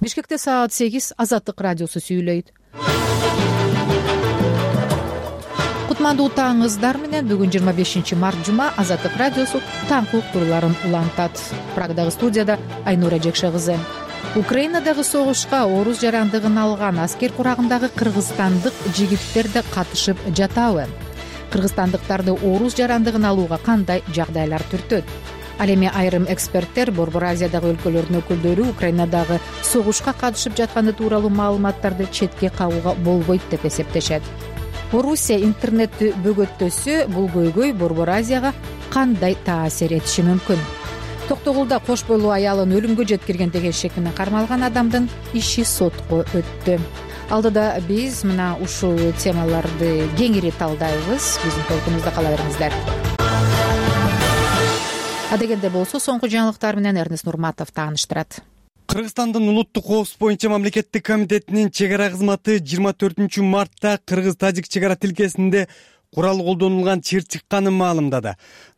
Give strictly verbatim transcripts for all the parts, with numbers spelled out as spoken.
Бишкекте саат сегиз. Азаттык радиосу сүйлөйт. Кутмандуу таңыңыздар менен. Бүгүн жыйырма бешинчи март жума. Азаттык радиосу таңкы уктурууларын улантат. Прагдагы студияда Айнура Жекше кызы. Украинадагы согушка орус жарандыгын алган аскер курагындагы кыргызстандык жигиттер да катышып жатабы? Кыргызстандыктарды орус жарандыгын алууга кандай жагдайлар түртөт? Ал эми айрым эксперттер Борбор Азиядагы өлкөлөрдүн өкүлдөрү Украинадагы согушка катышып жатканы тууралуу маалыматтарды четке кагууга болбойт деп эсептешет. Орусия интернетти бөгөттөсө бул көйгөй Борбор Азияга кандай таасир этиши мүмкүн? Токтогулда кош бойлуу аялын өлүмгө жеткирген деген шек менен кармалган адамдын иши сотко өттү. Алдыда биз мына ушул темаларды кеңири талдайбыз. Биздин толкунубузда кала бериңиздер. Адегенде болсо соңку жаңылыктар менен Эрнест Нурматов тааныштырат. Кыргызстандын улуттук коопсуздук боюнча мамлекеттик комитетинин чек ара кызматы жыйырма төртүнчү мартта кыргыз-тажик чек ара тилкесинде курал колдонулган чыр чыкканын маалымдады.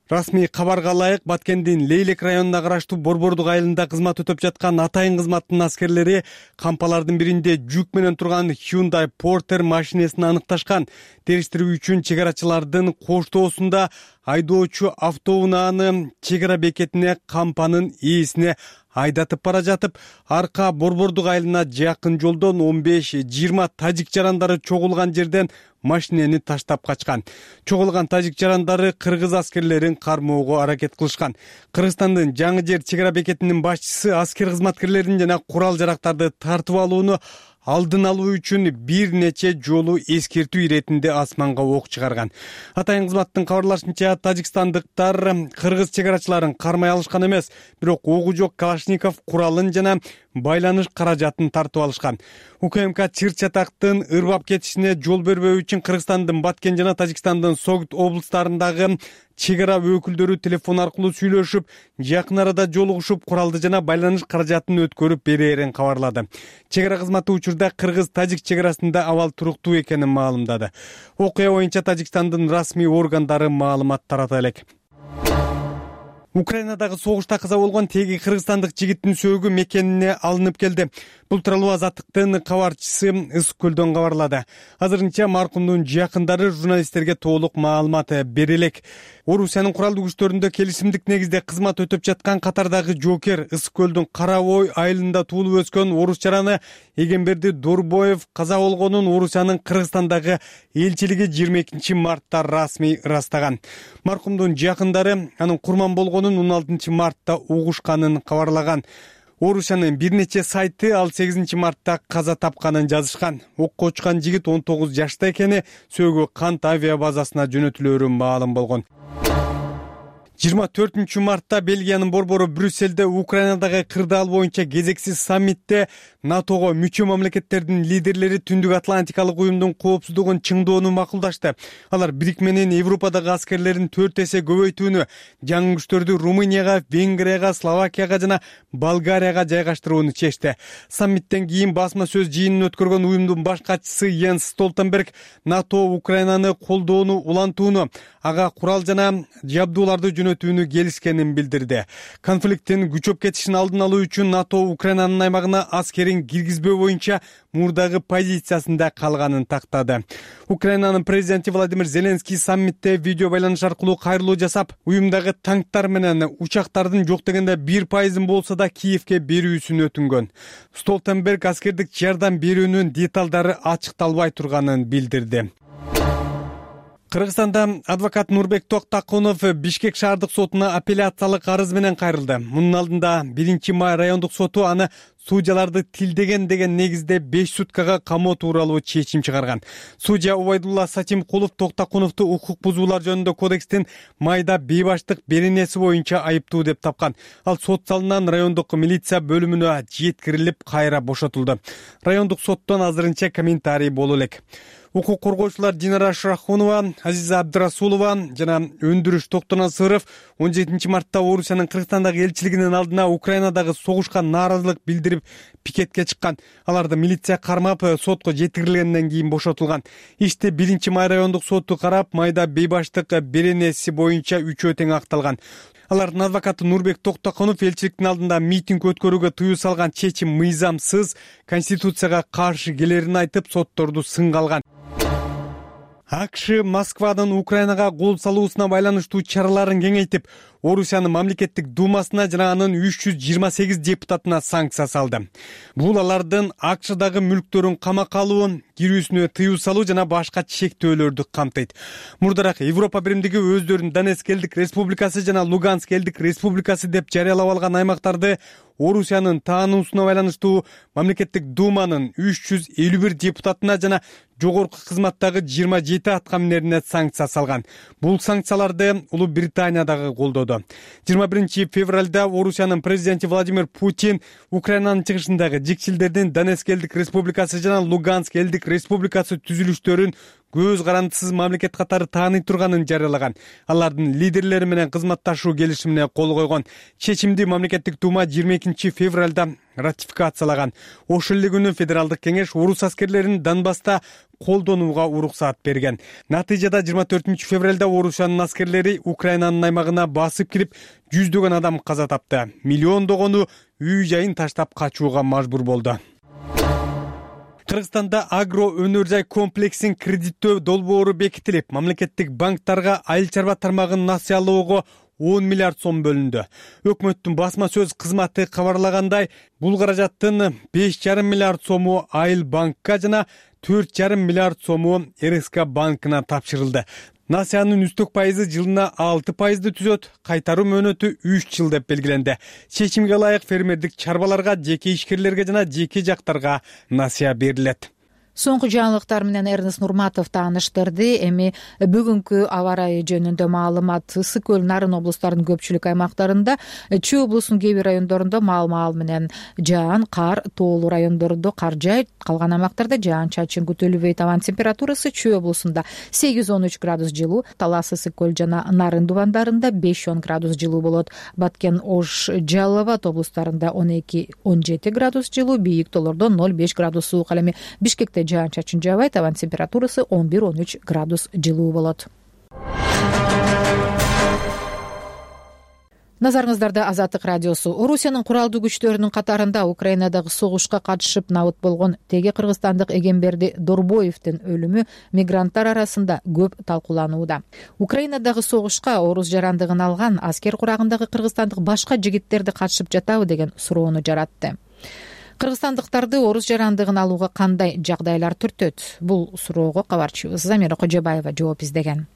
Расмий кабарга ылайык Баткендин Лейлек районуна караштуу Борбордук айылында кызмат өтөп жаткан атайын кызматтын аскерлери кампалардын биринде жүк менен турган Hyundai Porter машинесин аныкташкан. Териштирүү үчүн чек арачылардын коштоосунда айдоочу автоунааны чек ара бекетине кампанын ээсине айдатып бара жатып, арка Борбордук айылына жакын жолдон он беш жыйырма тажик жарандары чогулган жерден машинени таштап качкан. Чогулган тажик жарандары кыргыз аскерлерин кармоого аракет кылышкан. Кыргызстандын Жаңы жер чек ара бекетинин башчысы аскер кызматкерлерин жана курал жарактарды тартып алууну алдын алуу үчүн бир нече жолу эскертүү иретинде асманга ок чыгарган. Атайын кызматтын кабарлашынча, тажикстандыктар кыргыз чек арачыларын кармай алышкан эмес, бирок огу жок Калашников куралын жана байланыш каражатын тартып алышкан. УКМК чыр чатактын ырбап кетишине жол бербөө үчүн Кыргызстандын Баткен жана Тажикстандын Согут облустарындагы чек ара өкүлдөрү телефон аркылуу сүйлөшүп, жакын арада жолугушуп, куралды жана байланыш каражатын өткөрүп берээрин кабарлады. Чек ара кызматы учурда кыргыз-тажик чек арасында абал туруктуу экенин маалымдады. Окуя боюнча Тажикстандын расмий органдары маалымат тарата элек. Украинадагы согушта каза болгон теги кыргызстандык жигиттин сөөгү мекенине алынып келди. Бул тууралуу Азаттыктын кабарчысы Ысык Көлдөн кабарлады. Азырынча маркумдун жакындары журналисттерге толук маалымат бере элек. Орусиянын куралдуу күчтөрүндө келишимдик негизде кызмат өтөп жаткан катардагы жоокер Ысык Көлдүн Карабой айылында туулуп өскөн орус жараны Эгемберди Дурбоев каза болгонун Орусиянын Кыргызстандагы элчилиги жыйырма экинчи мартта расмий ырастаган. Маркумдун жакындары анын курман болгонун он алтынчы мартта угушканын кабарлаган. Орусиянын бир нече сайты ал сегизинчи мартта каза тапканын жазышкан. Окко учкан жигит он тогуз жашта экени, сөөгү Кант авиа базасына жөнөтүлөөрү маалым болгон. жыйырма төртүнчү мартта Бельгиянын борбору Брюссельде Украинадагы кырдаал боюнча кезексиз саммитте НАТОго мүчө мамлекеттердин лидерлери Түндүк Атлантикалык уюмдун коопсуздугун чыңдоону макулдашты. Алар Бирикменин Европадагы аскерлерин төрт эсе көбөйтүүнү, жаңы күчтөрдү Румынияга, Венгрияга, Словакияга жана Болгарияга жайгаштырууну чечти. Саммиттен кийин басма сөз жыйынын өткөргөн уюмдун баш катчысы Йенс Столтенберг НАТО Украинаны колдоону улантууну, ага курал жана жабдууларды жөнөтүүнү келишкенин билдирди. Конфликттин күчөп кетишин алдын алуу үчүн НАТО Украинанын аймагына аскерин киргизбөө боюнча мурдагы позициясында калганын тактады. Украинанын президенти Владимир Зеленский саммитте видео байланыш аркылуу кайрылуу жасап, уюмдагы танктар менен учактардын жок дегенде бир пайызын болсо да Киевке берүүсүн өтүнгөн. Столтенберг аскердик жардам берүүнүн деталдары ачыкталбай турганын билдирди. Кыргызстанда адвокат Нурбек Токтакунов Бишкек шаардык сотуна апелляциялык арыз менен кайрылды. Мунун алдында биринчи май райондук соту аны судьяларды тилдеген деген негизде беш суткага камоо тууралуу чечим чыгарган. Судья Убайдулла Сатимкулов Токтакуновду укук бузуулар жөнүндө кодекстин майда бейбаштык беренеси боюнча айыптуу деп тапкан. Ал сот залынан райондук милиция бөлүмүнө жеткирилип кайра бошотулду. Райондук соттон азырынча комментарий боло элек. Укук коргоочулар Динара Шрахунова, Азиза Абдрасулова жана Өндүрүш Токтонасыров он жетинчи мартта Орусиянын Кыргызстандагы элчилигинин алдына Украинадагы согушка нааразылык билдирип пикетке чыккан. Аларды милиция кармап, сотко жеткирилгенден кийин бошотулган. Ишти биринчи май райондук соту карап, майда бейбаштык беренеси боюнча үчөө тең акталган. Алардын адвокаты Нурбек Токтоконов элчиликтин алдында митинг өткөрүүгө тыюу салган чечим мыйзамсыз, конституцияга каршы келерин айтып, сотторду сынга алган. АКШ Москвадан Украинага кол салуусуна байланыштуу чараларын кеңейтип, Орусиянын мамлекеттик думасына жана анын үч жүз жыйырма сегиз депутатына санкция салды. Бул алардын АКШдагы мүлктөрүн камакка алуун, кирүүсүнө тыюу салуу жана башка чектөөлөрдү камтыйт. Мурдараак Европа биримдиги өздөрүн Донецк элдик республикасы жана Луганск элдик республикасы деп жарыялап алган аймактарды Орусиянын таануусуна байланыштуу мамлекеттик думанын үч жүз элүү бир депутатына жана жогорку кызматтагы жыйырма жети аткаминерине санкция салган. Бул санкцияларды Улуу Британия дагы колдоду. жыйырма биринчи февралда Орусиянын президенти Владимир Путин Украинанын чыгышындагы жикчилдердин Донецк элдик республикасы жана Луганск элдик республикасы түзүлүштөрүн көз карандысыз мамлекет катары тааный турганын жарыялаган. Алардын лидерлери менен кызматташуу келишимине кол койгон. Чечимди мамлекеттик дума жыйырма экинчи февралда ратификациялаган. Ошол эле күнү федералдык кеңеш орус аскерлерин Донбасста колдонууга уруксаат берген. Натыйжада жыйырма төртүнчү февралда Орусиянын аскерлери Украинанын аймагына басып кирип, жүздөгөн адам каза тапты. Миллиондогону үй жайын таштап качууга мажбур болду. Кыргызстанда агро өнөр жай комплексин кредиттөө долбоору бекитилип, мамлекеттик банктарга айыл чарба тармагын насыялоого он миллиард сом бөлүндү. Өкмөттүн басма сөз кызматы кабарлагандай, бул каражаттын беш жарым миллиард сому айыл банкка жана төрт жарым миллиард сому эр эс ка банкына тапшырылды. Насыянын үстөк пайызы жылына алты пайызды түзөт, кайтаруу мөөнөтү үч жыл деп белгиленди. Чечимге ылайык фермердик чарбаларга, жеке ишкерлерге жана жеке жактарга насыя берилет. Соңку жаңылыктар менен Эрнест Нурматов тааныштырды. Эми бүгүнкү аба ырайы жөнүндө маалымат. Ысык көл, Нарын облустарынын көпчүлүк аймактарында, Чүй облусунун кээ бир райондорунда маал-маал менен жаан, кар, тоолуу райондордо кар жаайт, калган аймактарда жаан-чачын күтүлбөйт. Абанын температурасы Чүй облусунда сегиз он үч градус жылуу, Талас, Ысык көл жана Нарын дубандарында беш он градус жылуу болот. Баткен, Ош, Жалал Абад облустарында он эки он жети градус жылуу, бийик тоолордо ноль беш градус суук. Ал эми Бишкекте жаан-чачын жаабайт, абанын температурасы он бир он үч градус жылуу болот. Назарыңыздарда Азаттык радиосу. Орусиянын куралдуу күчтөрүнүн катарында Украинадагы согушка катышып набыт болгон теге кыргызстандык Эгемберди Дорбоевдин өлүмү мигранттар арасында көп талкууланууда. Украинадагы согушка орус жарандыгын алган аскер курагындагы кыргызстандык башка жигиттерди катышып жатабы деген суроону жаратты. Кыргызстандыктарды орус жарандыгын алууга кандай жагдайлар түртөт? Бул суроого кабарчыбыз Замира Кожобаева жооп издеген.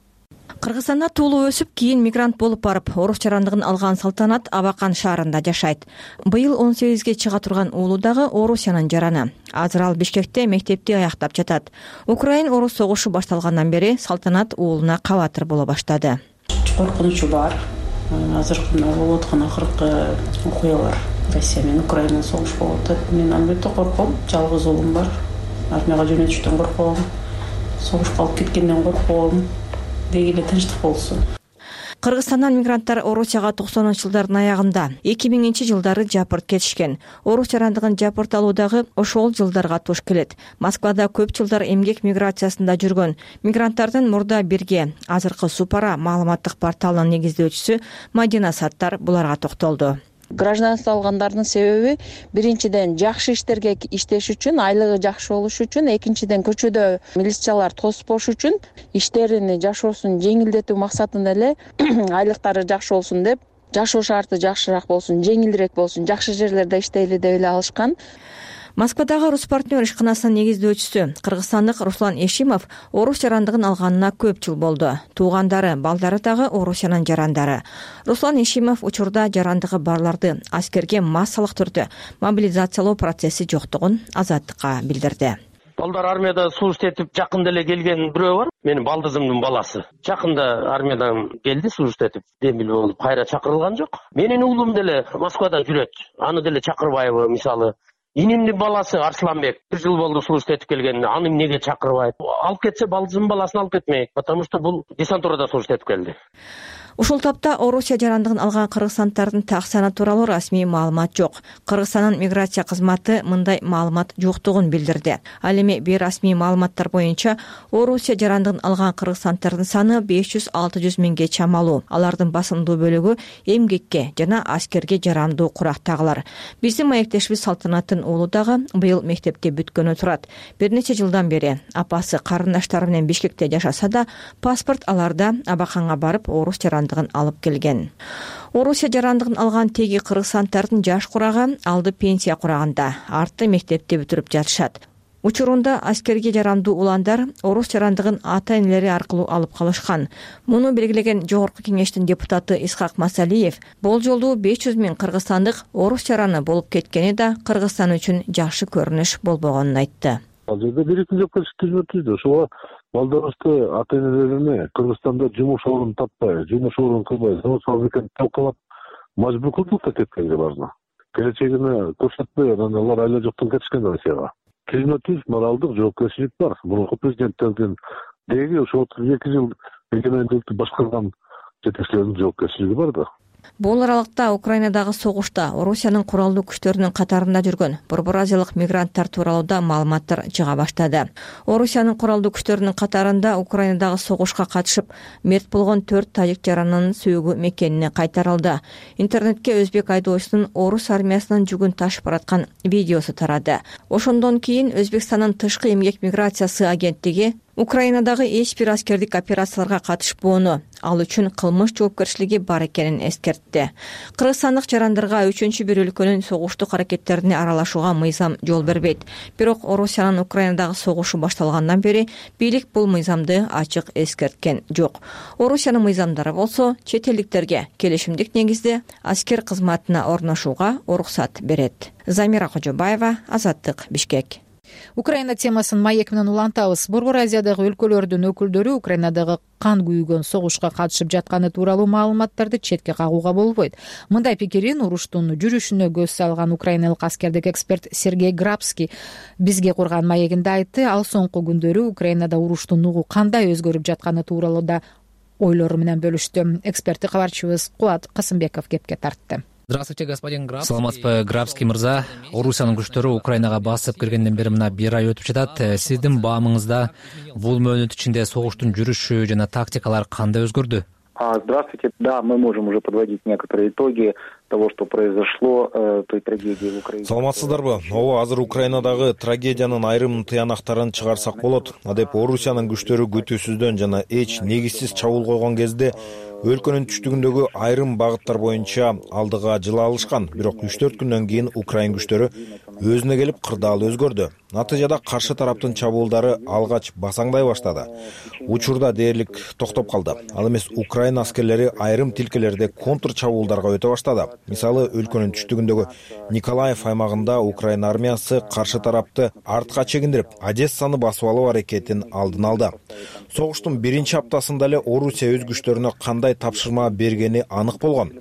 Кыргызстанда туулуп өсүп, кийин мигрант болуп барып, орус жарандыгын алган Салтанат Абакан шаарында жашайт. Быйыл он сегизге чыга турган уулу дагы Орусиянын жараны. Азыр ал Бишкекте мектепти аяктап жатат. Украин-орус согушу башталгандан бери Салтанат уулуна кабатыр боло баштады. Коркунучу бар. Азыркы болуп аткан акыркы окуялар Россия менен Украина согуш болуп атат. Мен албетте корком. Жалгыз уулум бар. Армияга жөнөтүштөн корком. Согушка алып кеткенден корком. Деги эле тынчтык болсун. Кыргызстандан мигранттар Орусияга токсонунчу жылдардын аягында, эки миңинчи жылдары жапырт кетишкен. Орус жарандыгын жапырт алуу дагы ошол жылдарга туш келет. Москвада көп жылдар эмгек миграциясында жүргөн мигранттардын мурда бирге азыркы Супара маалыматтык порталынын негиздөөчүсү Мадина Саттар буларга токтолду. Гражданство алгандардын себеби биринчиден жакшы иштерге иштеш үчүн, айлыгы жакшы болуш үчүн, экинчиден көчөдө милициялар тоспош үчүн, иштерин жашоосун жеңилдетүү максатында эле айлыктары жакшы болсун деп, жашоо шарты жакшыраак болсун, жеңилирээк болсун, жакшы жерлерде иштейли деп эле алышкан. Москвадагы Рус партнер ишканасынын негиздөөчүсү кыргызстандык Руслан Эшимов орус жарандыгын алганына көп жыл болду. Туугандары, балдары дагы Орусиянын жарандары. Руслан Эшимов учурда жарандыгы барларды аскерге массалык түрдө мобилизациялоо процесси жоктугун Азаттыкка билдирди. Балдар армияда служба этип жакында эле келген бирөө бар. Менин балдызымдын баласы. Жакында армиядан келди, служба этип демилүү болуп, кайра чакырылган жок. Менин уулум деле Москвада жүрөт. Аны деле чакырбайбы, мисалы. Инимдин баласы Арсланбек бир жыл болду служба этип келгенине, аны эмнеге чакырбайт? Алып кетсе балдызымдын баласын алып кетмейт, потому что бул десантурада служба этип келди. Ушул тапта Орусия жарандыгын алган кыргызстандардын так саны тууралуу расмий маалымат жок. Кыргызстандын миграция кызматы мындай маалымат жоктугун билдирди. Ал эми бейрасмий маалыматтар боюнча Орусия жарандыгын алган кыргызстандардын саны беш жүз алты жүз миңге чамалуу. Алардын басымдуу бөлүгү эмгекке жана аскерге жарандуу курактагылар. Биздин маектешибиз Салтанаттын уулу дагы быйыл мектепте бүткөнү турат. Бир нече жылдан бери апасы карындаштары менен Бишкекте жашаса да, паспорт аларда абаканга барып орус жарандыгын алып келген. Орусия жарандыгын алган теги кыргызстандардын жаш курагы алды пенсия курагында, арты мектепте бүтүрүп жатышат. Учурунда аскерге жарандуу уландар орус жарандыгын ата-энелери аркылуу алып калышкан. Муну белгилеген Жогорку кеңештин депутаты Исхак Масалиев бул жолу беш жүз миң кыргызстандык орус жараны болуп кеткени да Кыргызстан үчүн жакшы көрүнүш болбогонун айтты. Ал жерде бирикти жоопкерчилик түзмө түздү. Ошого балдарыбызды ата-энелерине Кыргызстанда жумуш орун таппай, жумуш орун кылбай, завод фабриканы талкалап мажбур кылдык да кеткенге баарына. Келечегине көрсөтпөй анан алар айла жоктон кетишкен Россияга. Түзмө түз моралдык жоопкерчилик бар. Мурунку президенттердин деги ошо отуз эки жыл эгемендикти башкарган жетекчилердин жоопкерчилиги бар да. Бул аралыкта Украинадагы согушта Орусиянын куралдуу күчтөрүнүн катарында жүргөн Борбор Азиялык мигранттар тууралуу да маалыматтар чыга баштады. Орусиянын куралдуу күчтөрүнүн катарында Украинадагы согушка катышып мерт болгон төрт тажик жаранынын сүйөгү мекенине кайтарылды. Интернетке өзбек айдоочусунун орус армиясынын жүгүн ташып бараткан видеосу тарады. Ошондон кийин Өзбекстандын тышкы эмгек миграциясы агенттиги Украинадагы эч бир аскердик операцияларга катышпоону, ал үчүн кылмыш жоопкерчилиги бар экенин эскертти. Кыргызстандык жарандарга үчүнчү бир өлкөнүн согуштук аракеттерине аралашууга мыйзам жол бербейт. Бирок Орусиянын Украинадагы согушу башталгандан бери бийлик бул мыйзамды ачык эскерткен жок. Орусиянын мыйзамдары болсо чет элдиктерге келишимдик негизде аскер кызматына орношууга уруксат берет. Замира Кожобаева, Азаттык, Бишкек. Украина темасын маек менен улантабыз. Борбор Азиядагы өлкөлөрдүн өкүлдөрү Украинадагы кан күйгөн согушка катышып жатканы тууралуу маалыматтарды четке кагууга болбойт. Мындай пикирин уруштун жүрүшүнө көз салган украиналык аскердик эксперт Сергей Грабский бизге курган маегинде айтты. Ал соңку күндөрү Украинада уруштун угу кандай өзгөрүп жатканы тууралуу да ойлору менен бөлүштү. Эксперти кабарчыбыз Кубат Касымбеков кепке тартты. Здравствуйте, господин Грабский. Саламатсызбы, Грабский мырза. Орусиянын күчтөрү Украинага басып киргенден бери мына бир ай өтүп жатат. Сиздин баамыңызда бул мөөнөт ичинде согуштун жүрүшү жана тактикалар кандай өзгөрдү? Здравствуйте. Да, мы можем уже подводить некоторые итоги того, что произошло, э, той трагедии в Украине. Саламатсыздарбы? Ооба, азыр Украинадагы трагедиянын айрым тыянактарын чыгарсак болот. Адеп Орусиянын күчтөрү күтүүсүздөн жана эч негизсиз чабуул койгон кезде өлкөнүн түштүгүндөгү айрым багыттар боюнча алдыга жыла алышкан. Бирок үч төрт күндөн кийин Украин күчтөрү өзүнө келип кырдаал өзгөрдү. Натыйжада каршы тараптын чабуулдары алгач басаңдай баштады. Учурда дээрлик токтоп калды. Ал эмес Украин аскерлери айрым тилкелерде контр чабуулдарга өтө баштады. Мисалы, өлкөнүн түштүгүндөгү Николаев аймагында Украин армиясы каршы тарапты артка чегиндирип, Одессаны басып алуу аракетин алдын алды. Согуштун биринчи аптасында эле Орусия өз күчтөрүнө кандай тапшырма бергени анык болгон.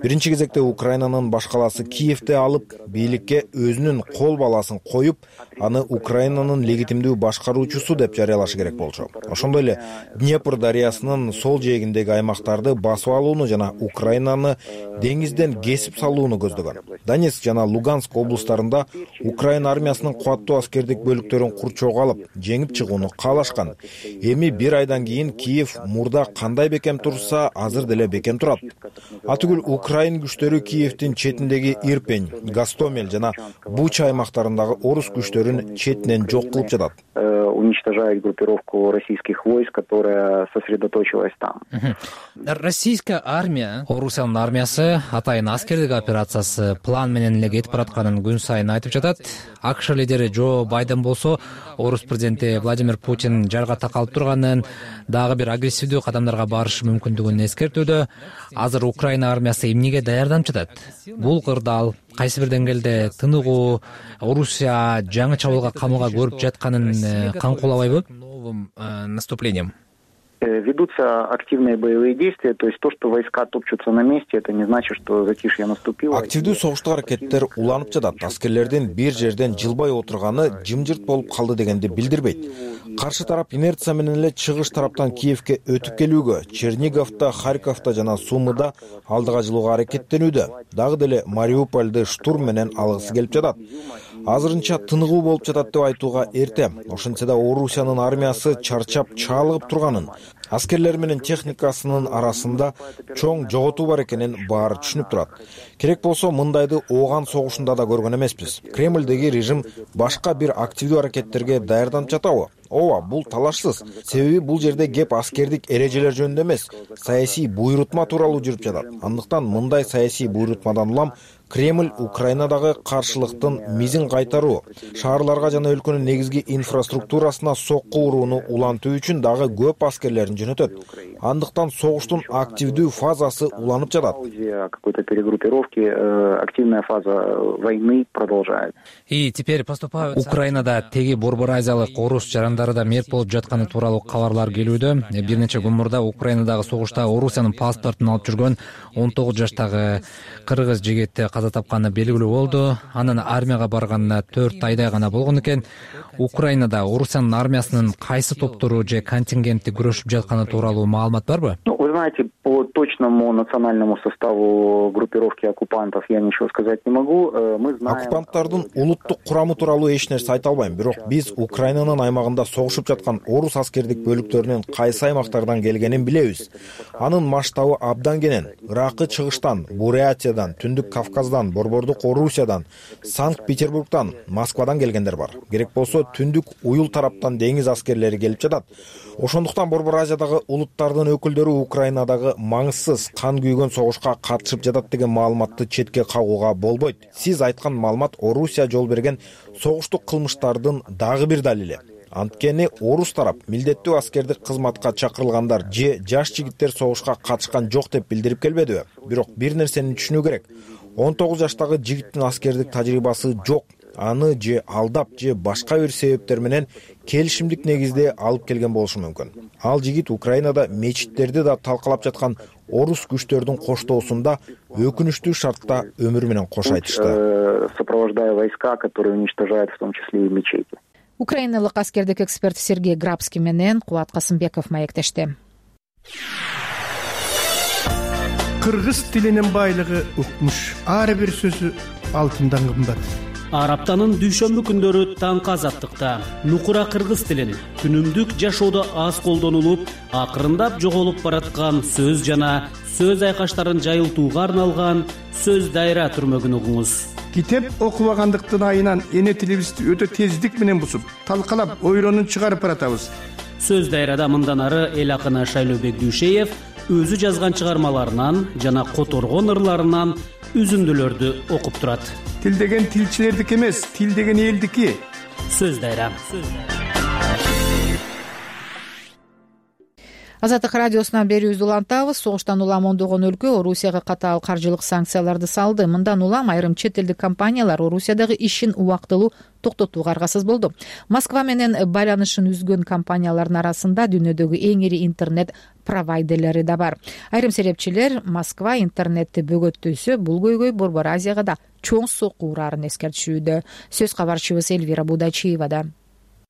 Биринчи кезекте Украинанын баш калаасы Киевди алып, бийликке өзүнүн кол баласын коюп, аны Украинанын легитимдүү башкаруучусу деп жарыялашы керек болчу. Ошондой эле Днепр дарыясынын сол жээгиндеги аймактарды басып алууну жана Украинаны деңизден кесип салууну көздөгөн. Донецк жана Луганск облустарында Украин армиясынын кубаттуу аскердик бөлүктөрүн курчоого алып, жеңип чыгууну каалашкан. Эми бир айдан кийин Киев мурда кандай бекем турса, азыр деле бекем турат. Атүгүл Украин күчтөрү Киевдин четиндеги Ирпень, Гостомель жана Буча аймактарындагы орус күчтөрүн четинен жок кылып жатат. Уничтожает группировку российских войск, которая сосредоточилась там. Российская армия, Орусиянын армиясы атайын аскердик операциясы план менен эле кетип баратканын күн сайын айтып жатат. АКШ лидери Джо Байден болсо, орус президенти Владимир Путин жарга такалып турганын, дагы бир агрессивдүү кадамдарга барышы мүмкүндүгүн эскертүүдө. Азыр Украина армиясы эмнеге даярданып жатат? Бул кырдаал кайсы бир деңгээлде тыныгуу, Орусия жаңы чабуулга камылга көрүп жатканын камкуулабайбы? Новым наступлением. Ведутся активные боевые действия, то есть то, что войска топчутся на месте, это не значит, что затишье наступило. Активдүү согуштук аракеттер уланып жатат. Аскерлердин бир жерден жылбай отурганы жымжырт болуп калды дегенди билдирбейт. Каршы тарап инерция менен эле чыгыш тараптан Киевке өтүп келүүгө, Черниговто, Харьковто жана Сумыда алдыга жылууга аракеттенүүдө. Дагы деле Мариупольду штурм менен алгысы келип жатат. Азырынча тыныгуу болуп жатат деп айтууга эрте. Ошентсе да Орусиянын армиясы чарчап чаалыгып турганын, аскерлер менен техникасынын арасында чоң жоготуу бар экенин баары түшүнүп турат. Керек болсо мындайды ооган согушунда да көргөн эмеспиз. Кремлдеги режим башка бир активдүү аракеттерге даярданып жатабы? Ооба, бул талашсыз. Себеби бул жерде кеп аскердик эрежелер жөнүндө эмес, саясий буйрутма тууралуу жүрүп жатат. Андыктан мындай саясий буйрутмадан улам Кремль Украинадагы каршылыктын мизин кайтаруу, шаарларга жана өлкөнүн негизги инфраструктурасына сокку урууну улантуу үчүн дагы көп аскерлерин жөнөтөт. Андыктан согуштун активдүү фазасы уланып жатат. Какой-то перегруппировки, активная фаза войны продолжает. И теперь поступают. Украинада теги Борбор Азиялык орус жарандары да мерт болуп жатканы тууралуу кабарлар келүүдө. Бир нече күн мурда Украинадагы согушта Орусиянын паспортун алып жүргөн он тогуз жаштагы кыргыз жигити каза тапканы белгилүү болду. Анын армияга барганына төрт айдай гана болгон экен. Украинада Орусиянын армиясынын кайсы топтору же контингенти күрөшүп жатканы тууралуу маалымат барбы? Ну, вы знаете, по точному национальному составу группировки оккупантов я ничего сказать не могу. Мы знаем... Оккупанттардын улуттук курамы тууралуу эч нерсе айта албайм. Бирок биз Украинанын аймагында согушуп жаткан орус аскердик бөлүктөрүнүн кайсы аймактардан келгенин билебиз. Анын масштабы абдан кенен. Ыракы чыгыштан, Бурятиядан, Түндүк Кавказдан, Борбордук Орусиядан, Санкт-Петербургдан, Москвадан келгендер бар. Керек болсо Түндүк Уюл тараптан деңиз аскерлери келип жатат. Ошондуктан Борбор Азиядагы улуттардын өкүлдөрү Украинадагы маңызсыз кан күйгөн согушка катышып жатат деген маалыматты четке кагууга болбойт. Сиз айткан маалымат Орусия жол берген согуштук кылмыштардын дагы бир далили. Анткени орус тарап милдеттүү аскердик кызматка чакырылгандар же жаш жигиттер согушка катышкан жок деп билдирип келбедиби? Бирок бир нерсени түшүнүү керек. он тогуз жаштагы жигиттин аскердик тажрыйбасы жок. Аны же алдап же башка бир себептер менен келишимдик негизде алып келген болушу мүмкүн. Ал жигит Украинада мечиттерди да талкалап жаткан орус күчтөрдүн коштоосунда өкүнүчтүү шартта өмүр менен кош айтышты. Сопровождая войска, которые уничтожают в том числе и мечети. Украиналык аскердик эксперт Сергей Грабский менен Кубат Касымбеков маектешти. Кыргыз тилинин байлыгы укмуш. Ар бир сөзү алтындан кымбат. Араптанын дүйшөмбү күндөрү таңкы азаттыкта нукура кыргыз тилин күнүмдүк жашоодо аз колдонулуп, акырындап жоголуп бараткан сөз жана сөз айкаштарын жайылтууга арналган сөз дайра түрмөгүн угуңуз. Китеп окубагандыктын айынан эне тилибизди өтө тездик менен бусуп, талкалап, ойронун чыгарып баратабыз. Сөз дайрада мындан ары эл акыны Шайлообек Дүйшеев өзү жазган чыгармаларынан жана которгон ырларынан үзүндүлөрдү окуп турат. Тил деген тилчилердики эмес, тил деген элдики. Сөз дайра. Азаттык радиосунан берүүбүздү улантабыз. Согуштан улам ондогон өлкө Орусияга катаал каржылык санкцияларды салды. Мындан улам айрым чет элдик компаниялар Орусиядагы ишин убактылуу токтотууга аргасыз болду. Москва менен байланышын үзгөн компаниялардын арасында дүйнөдөгү эң ири интернет провайдерлери да бар. Айрым серепчилер Москва интернетти бөгөттөйсө, бул көйгөй Борбор Азияга да чоң сокку ураарын эскертишүүдө. Сөз кабарчыбыз Элвира Будачиевада.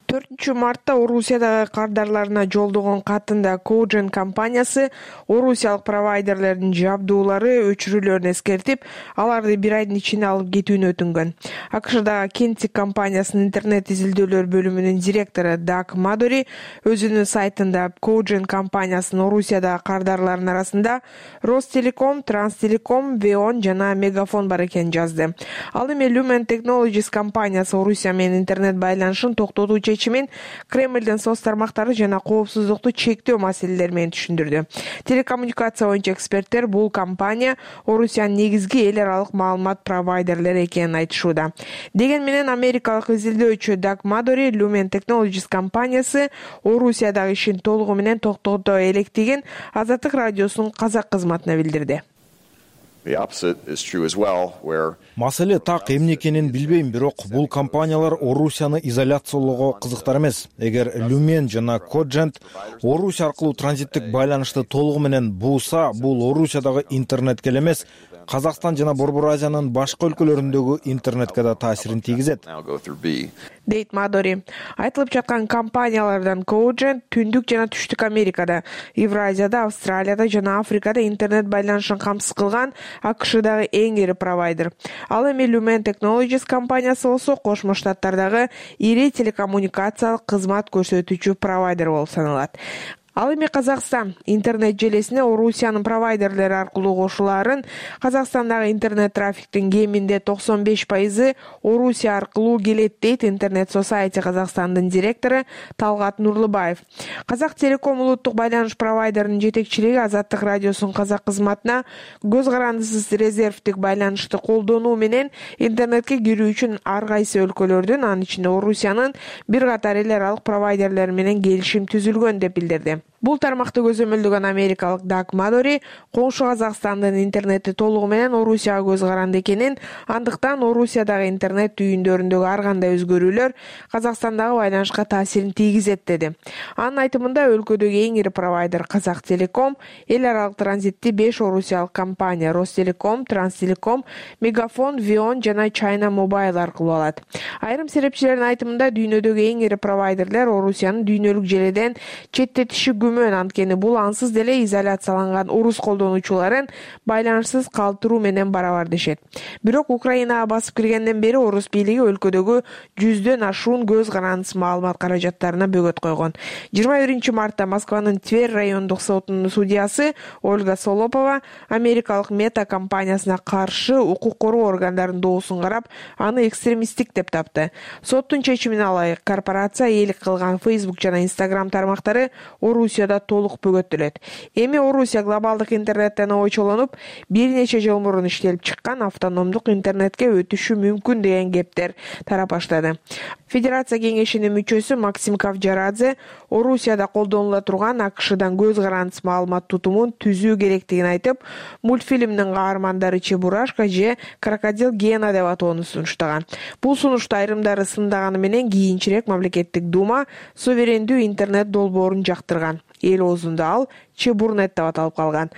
төртүнчү мартта Орусиядагы кардарларына жолдогон катында Коужен компаниясы орусиялык провайдерлердин жабдуулары өчүрүүлөрүн эскертип, аларды бир айдын ичинде алып кетүүнү өтүнгөн. АКШдагы Кентик компаниясынын интернет изилдөөлөр бөлүмүнүн директору Даг Мадори өзүнүн сайтында Коужен компаниясынын Орусиядагы кардарларынын арасында Ростелеком, Транстелеком, Веон жана Мегафон бар экенин жазды. Ал эми Lumen Technologies компаниясы Орусия менен интернет байланышын токтотуу чечимин Кремлдин соц тармактары жана коопсуздукту чектөө маселелери менен түшүндүрдү. Телекоммуникация боюнча эксперттер бул компания Орусиянын негизги эл аралык маалымат провайдерлери экенин айтышууда. Деген менен америкалык изилдөөчү Даг Мадори Lumen Technologies компаниясы Орусиядагы ишин толугу менен токтото электигин Азаттык радиосунун казак кызматына билдирди. Маселе так эмне экенин билбейм, бирок бул компаниялар Орусияны изоляциялоого кызыктар эмес. Эгер Люмен жана Коджент Орусия аркылуу транзиттик байланышты толугу менен буузса, бул Орусиядагы интернетке эле эмес, Казакстан жана Борбор Азиянын башка өлкөлөрүндөгү интернетке да таасирин тийгизет, дейт Мадори. Айтылып жаткан компаниялардан Коджент Түндүк жана Түштүк Америкада, Евразияда, Австралияда жана Африкада интернет байланышын камсыз кылган АКШдагы эң ири провайдер. Ал эми Lumen Technologies компаниясы болсо Кошмо Штаттардагы ири телекоммуникациялык кызмат көрсөтүүчү провайдер болуп саналат. Ал эми Казакстан интернет желесине Орусиянын провайдерлери аркылуу кошулаарын, Казакстандагы интернет трафиктин кеминде токсон беш пайызы Орусия аркылуу келет, дейт Интернет Society Казакстандын директору Талгат Нурлубаев. Казак Телеком улуттук байланыш провайдеринин жетекчилиги Азаттык радиосунун казак кызматына көз карандысыз резервдик байланышты колдонуу менен интернетке кирүү үчүн ар кайсы өлкөлөрдүн, анын ичинде Орусиянын бир катар эл аралык провайдерлери менен келишим түзүлгөн деп билдирди. Бул тармакты көзөмөлдөгөн америкалык Даг Мадори коңшу Казакстандын интернети толугу менен Орусияга көз каранды экенин, андыктан Орусиядагы интернет түйүндөрүндөгү ар кандай өзгөрүүлөр Казакстандагы байланышка таасирин тийгизет, деди. Анын айтымында өлкөдөгү эң ири провайдер Казак Телеком эл аралык транзитти беш орусиялык компания Ростелеком, Транстелеком, Мегафон, Вион жана China Mobile аркылуу алат. Айрым серепчилердин айтымында дүйнөдөгү эң ири провайдерлер Орусиянын дүйнөлүк желеден четтетиши күмөн, анткени бул ансыз деле изоляцияланган орус колдонуучуларын байланышсыз калтыруу менен барабар дешет. Бирок Украинага басып киргенден бери орус бийлиги өлкөдөгү жүздөн ашуун көз карандысыз маалымат каражаттарына бөгөт койгон. жыйырма биринчи мартта Москванын Тверь райондук сотунун судьясы Ольга Солопова америкалык Мета компаниясына каршы укук коргоо органдарынын доосун карап, аны экстремисттик деп тапты. Соттун чечимине ылайык корпорация ээлик кылган Facebook жана Instagram тармактары Орусияда толук бөгөттөлөт. Эми Орусия глобалдык интернеттен ойчолонуп, бир нече жыл мурун иштелип чыккан автономдук интернетке өтүшү мүмкүн деген кептер тарап баштады. Федерация кеңешинин мүчөсү Максим Кавджарадзе Орусияда колдонула турган АКШдан көз карандысыз маалымат тутумун түзүү керектигин айтып, мультфильмдин каармандары Чебурашка же Крокодил Гена деп атоону сунуштаган. Бул сунушту айрымдары сындаганы менен кийинчерээк мамлекеттик дума суверендүү интернет долбоорун жактырган. Эл оозунда ал Чебурнет деп аталып калган.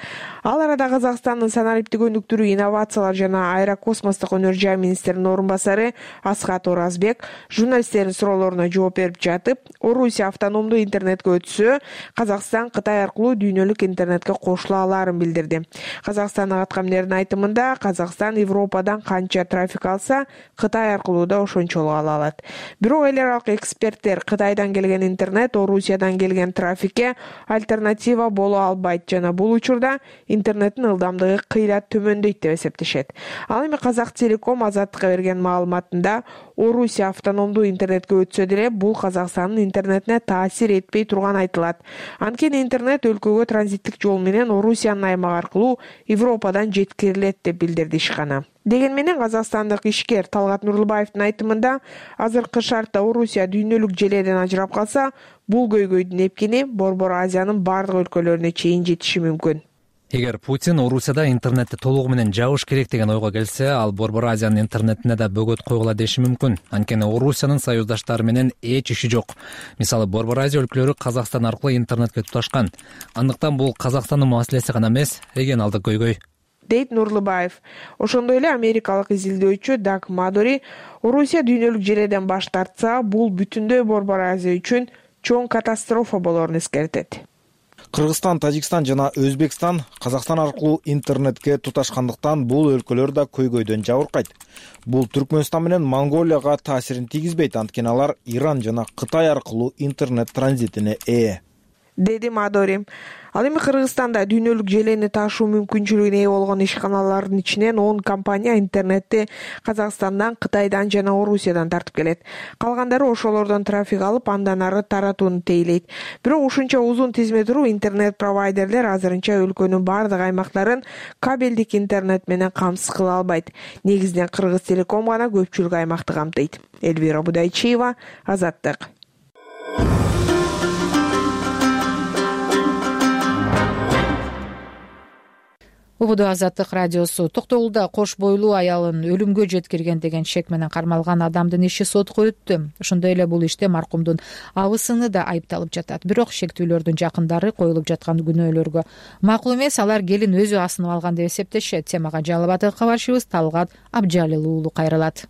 Ал арада Казакстандын санариптик өнүктүрүү, инновациялар жана аэрокосмостук өнөр жай министринин орун басары Асхат Оразбек журналисттердин суроолоруна жооп берип жатып, Орусия автономдуу интернетке өтсө, Казакстан Кытай аркылуу дүйнөлүк интернетке кошула аларын билдирди. Казакстандын аткаминердин айтымында, Казакстан Европадан канча трафик алса, Кытай аркылуу да ошончолук ала алат. Бирок эл аралык эксперттер Кытайдан келген интернет Орусиядан келген трафикке альтернатива боло албайт жана бул учурда интернеттин ылдамдыгы кыйла төмөндөйт деп эсептешет. Ал эми Казак Телеком Азаттыкка берген маалыматында Орусия автономдуу интернетке өтсө деле бул Казакстандын интернетине таасир этпей турганы айтылат. Анткени интернет өлкөгө транзиттик жол менен Орусиянын аймагы аркылуу Европадан жеткирилет деп билдирди ишкана. Деген менен Казакстандык ишкер Талгат Нурлубаевдин айтымында, азыркы шартта Орусия дүйнөлүк желеден ажырап калса, бул көйгөйдүн эпкини Борбор Азиянын бардык өлкөлөрүнө чейин жетиши мүмкүн. Эгер Путин Орусияда интернетти толугу менен жабыш керек деген ойго келсе, ал Борбор Азиянын интернетине да бөгөт койгула деши мүмкүн. Анткени Орусиянын союздаштары менен эч иши жок. Мисалы, Борбор Азия өлкөлөрү Казакстан аркылуу интернетке туташкан. Андыктан бул Казакстандын маселеси гана эмес, регионалдык көйгөй, дейт Нурлубаев. Ошондой эле америкалык изилдөөчү Даг Мадори Орусия дүйнөлүк желеден баш тартса, бул бүтүндөй Борбор Азия үчүн чоң катастрофа болоорун эскертет. Кыргызстан, Тажикстан жана Өзбекстан Казакстан аркылуу интернетке туташкандыктан бул өлкөлөр да көйгөйдөн жабыркайт. Бул Түркмөнстан менен Монголияга таасирин тийгизбейт, анткени алар Иран жана Кытай аркылуу интернет транзитине ээ, деди Мадори. Ал эми Кыргызстанда дүйнөлүк желени ташуу мүмкүнчүлүгүнө ээ болгон ишканалардын ичинен он компания интернетти Казакстандан, Кытайдан жана Орусиядан тартып келет. Калгандары ошолордон трафик алып, андан ары таратууну тейлейт. Бирок ушунча узун тизме туруп, интернет провайдерлер азырынча өлкөнүн бардык аймактарын кабелдик интернет менен камсыз кыла албайт. Негизинен Кыргыз Телеком гана көпчүлүк аймакты камтыйт. Элвира Будайчиева, Азаттык. убуду азаттык радиосу. Токтогулда кош бойлуу аялын өлүмгө жеткирген деген шек менен кармалган адамдын иши сотко өттү. Ошондой эле бул иште маркумдун абысыны да айыпталып жатат. Бирок шектүүлөрдүн жакындары коюлуп жаткан күнөөлөргө макул эмес, алар келин өзү асынып алган деп эсептешет. Темага жалпы батыр кабарчыбыз Талгат Абжалил уулу кайрылат.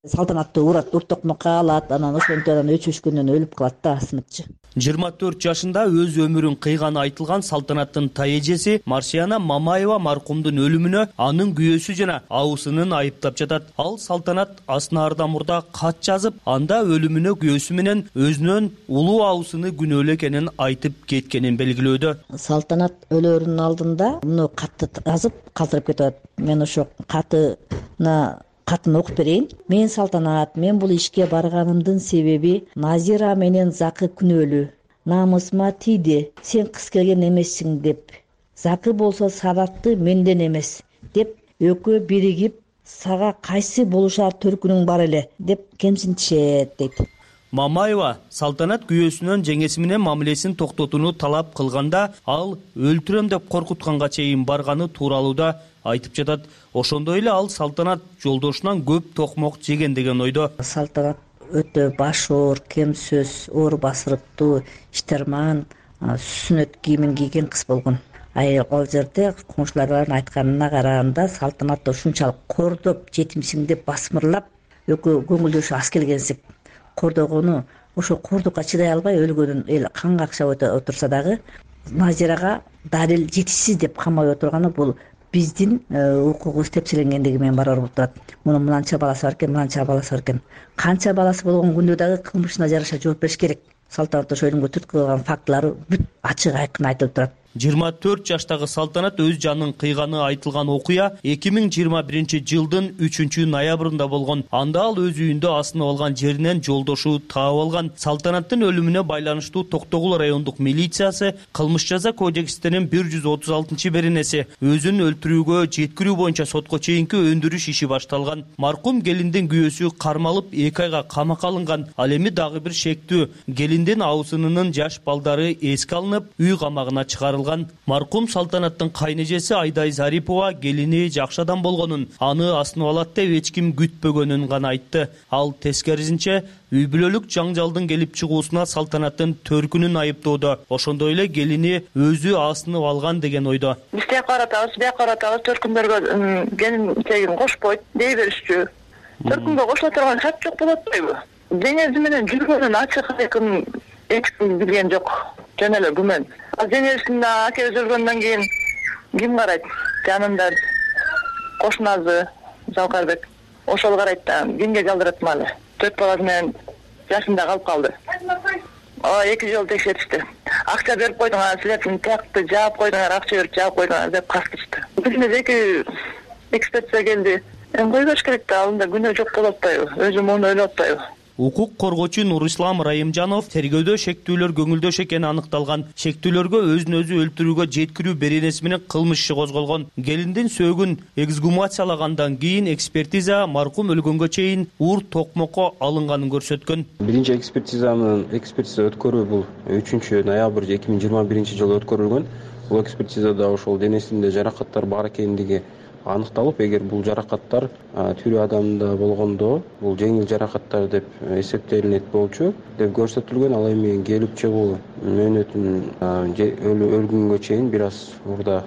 Салтанаттуу урат, урт токмокко алат, анан ошентип анан өчүшкөндөн өлүп калат да асынычы. жыйырма төрт жашында өз өмүрүн кыйганы айтылган Салтанаттын тай эжеси Марсияна Мамаева маркумдун өлүмүнө анын күйөөсү жана абысынын айыптап жатат. Ал Салтанат асынаардан мурда кат жазып, анда өлүмүнө күйөөсү менен өзүнөн улуу абысыны күнөөлүү экенин айтып кеткенин белгилөөдө. Салтанат өлөрүнүн алдында муну катты жазып калтырып кетип атат. Мен ошо катына катын окуп берейин. Мен Салтанат, мен бул ишке барганымдын себеби Назира менен Закы күнөөлүү. Намысыма тийди. Сен кыз келген эмессиң деп. Закы болсо сабатты менден эмес деп экөө биригип, сага кайсы болушар төркүнүң бар эле деп кемсинтишет дейт. Мамаева Салтанат күйөөсүнөн жеңеси менен мамилесин токтотууну талап кылганда, ал өлтүрөм деп коркутканга чейин барганы тууралуу да айтып жатат. Ошондой эле ал Салтанат жолдошунан көп токмок жеген деген ойдо. Салтанат өтө баш оор, кем сөз, оор басырыктуу, иштерман, сүннөт кийимин кийген кыз болгон. Ал жерде коңшулардын айтканына караганда Салтанат ушунчалык кордоп, жетимсиң деп басмырлап, экөө көңүлдөшү аз келгенсип кордогону, ошо кордукка чыдай албай өлгөнүн эл кан какшап отурса дагы Назирага далил жетишсиз деп камап отурганы бул биздин укугубуз тепселенгендиги менен барабар болуп турат. Мунун мынанча баласы бар экен, мынанча баласы бар экен. Канча баласы болгон күндө дагы кылмышына жараша жооп бериш керек. Салтанат ошо өлүмгө түрткү кылган фактылары бүт ачык айкын айтылып турат. жыйырма төрт жаштагы Салтанат өз жанын кыйганы айтылган окуя эки миң жыйырма биринчи жылдын үчүнчү ноябрында болгон. Анда ал өз үйүндө асынып алган жеринен жолдошу таап алган. Салтанаттын өлүмүнө байланыштуу Токтогул райондук милициясы кылмыш жаза кодекстинин бир жүз отуз алтынчы беренеси өзүн өлтүрүүгө жеткирүү боюнча сотко чейинки өндүрүш иши башталган. Маркум келиндин күйөөсү кармалып эки айга камакка алынган. Ал эми дагы бир шектүү келиндин абысынынын жаш балдары эске алынып, үй камагына чыгарылган. Маркум Салтанаттын кайнэжеси Айдай Зарипова келини жакшы адам болгонун, аны асынып алат деп эч ким күтпөгөнүн гана айтты. Ал тескерисинче үй бүлөлүк жаңжалдын келип чыгуусуна Салтанаттын төркүнүн айыптоодо. Ошондой эле келини өзү асынып алган деген ойдо. Биз тияк каратабыз, бияк каратабыз, төркүндөргө келин тегин кошпойт дей беришчү. Төркүнгө кошула турган шарт жок болот атпайбы? Деңези менен жүргөнүн ачык айкын эч ким билген жок. Жөн эле күмөн. Ал жеңесинде акебиз өлгөндөн кийин ким карайт? Жанында кошуназы Жалкарбек. Ошол карайт да, кимге жалдырат мали? Төрт баласы менен жашында калып калды. О, эки жол текшертишти. Акча берип койдуңар, силердин тиякты жаап койдуңар, акча берип жаап койдуңар деп кастырышты. Бизде эки экспертиза келди. Эми кой бериш керек да, алында күнөө жок болуп атпайбы? Өзү муну ойлоп атпайбы? Укук коргоочу Нурислам Райымжанов тергөөдө шектүүлөр көңүлдөш экени аныкталган. Шектүүлөргө өзүн өзү өлтүрүүгө жеткирүү беренеси менен кылмыш иши козголгон. Келиндин сөөгүн эксгумациялагандан кийин экспертиза маркум өлгөнгө чейин урт токмокко алынганын көрсөткөн. Биринчи экспертизанын экспертиза өткөрүү бул үчүнчү ноябрь эки миң жыйырма биринчи жылы өткөрүлгөн. Бул экспертизада ошол денесинде жаракаттар бар экендиги аныкталып, эгер бул жаракаттар тирүү адамда болгондо бул жеңил жаракаттар деп эсептелинет болчу деп көрсөтүлгөн. Ал эми келип чыгуу мөөнөтүн өлгөнгө чейин бир аз мурда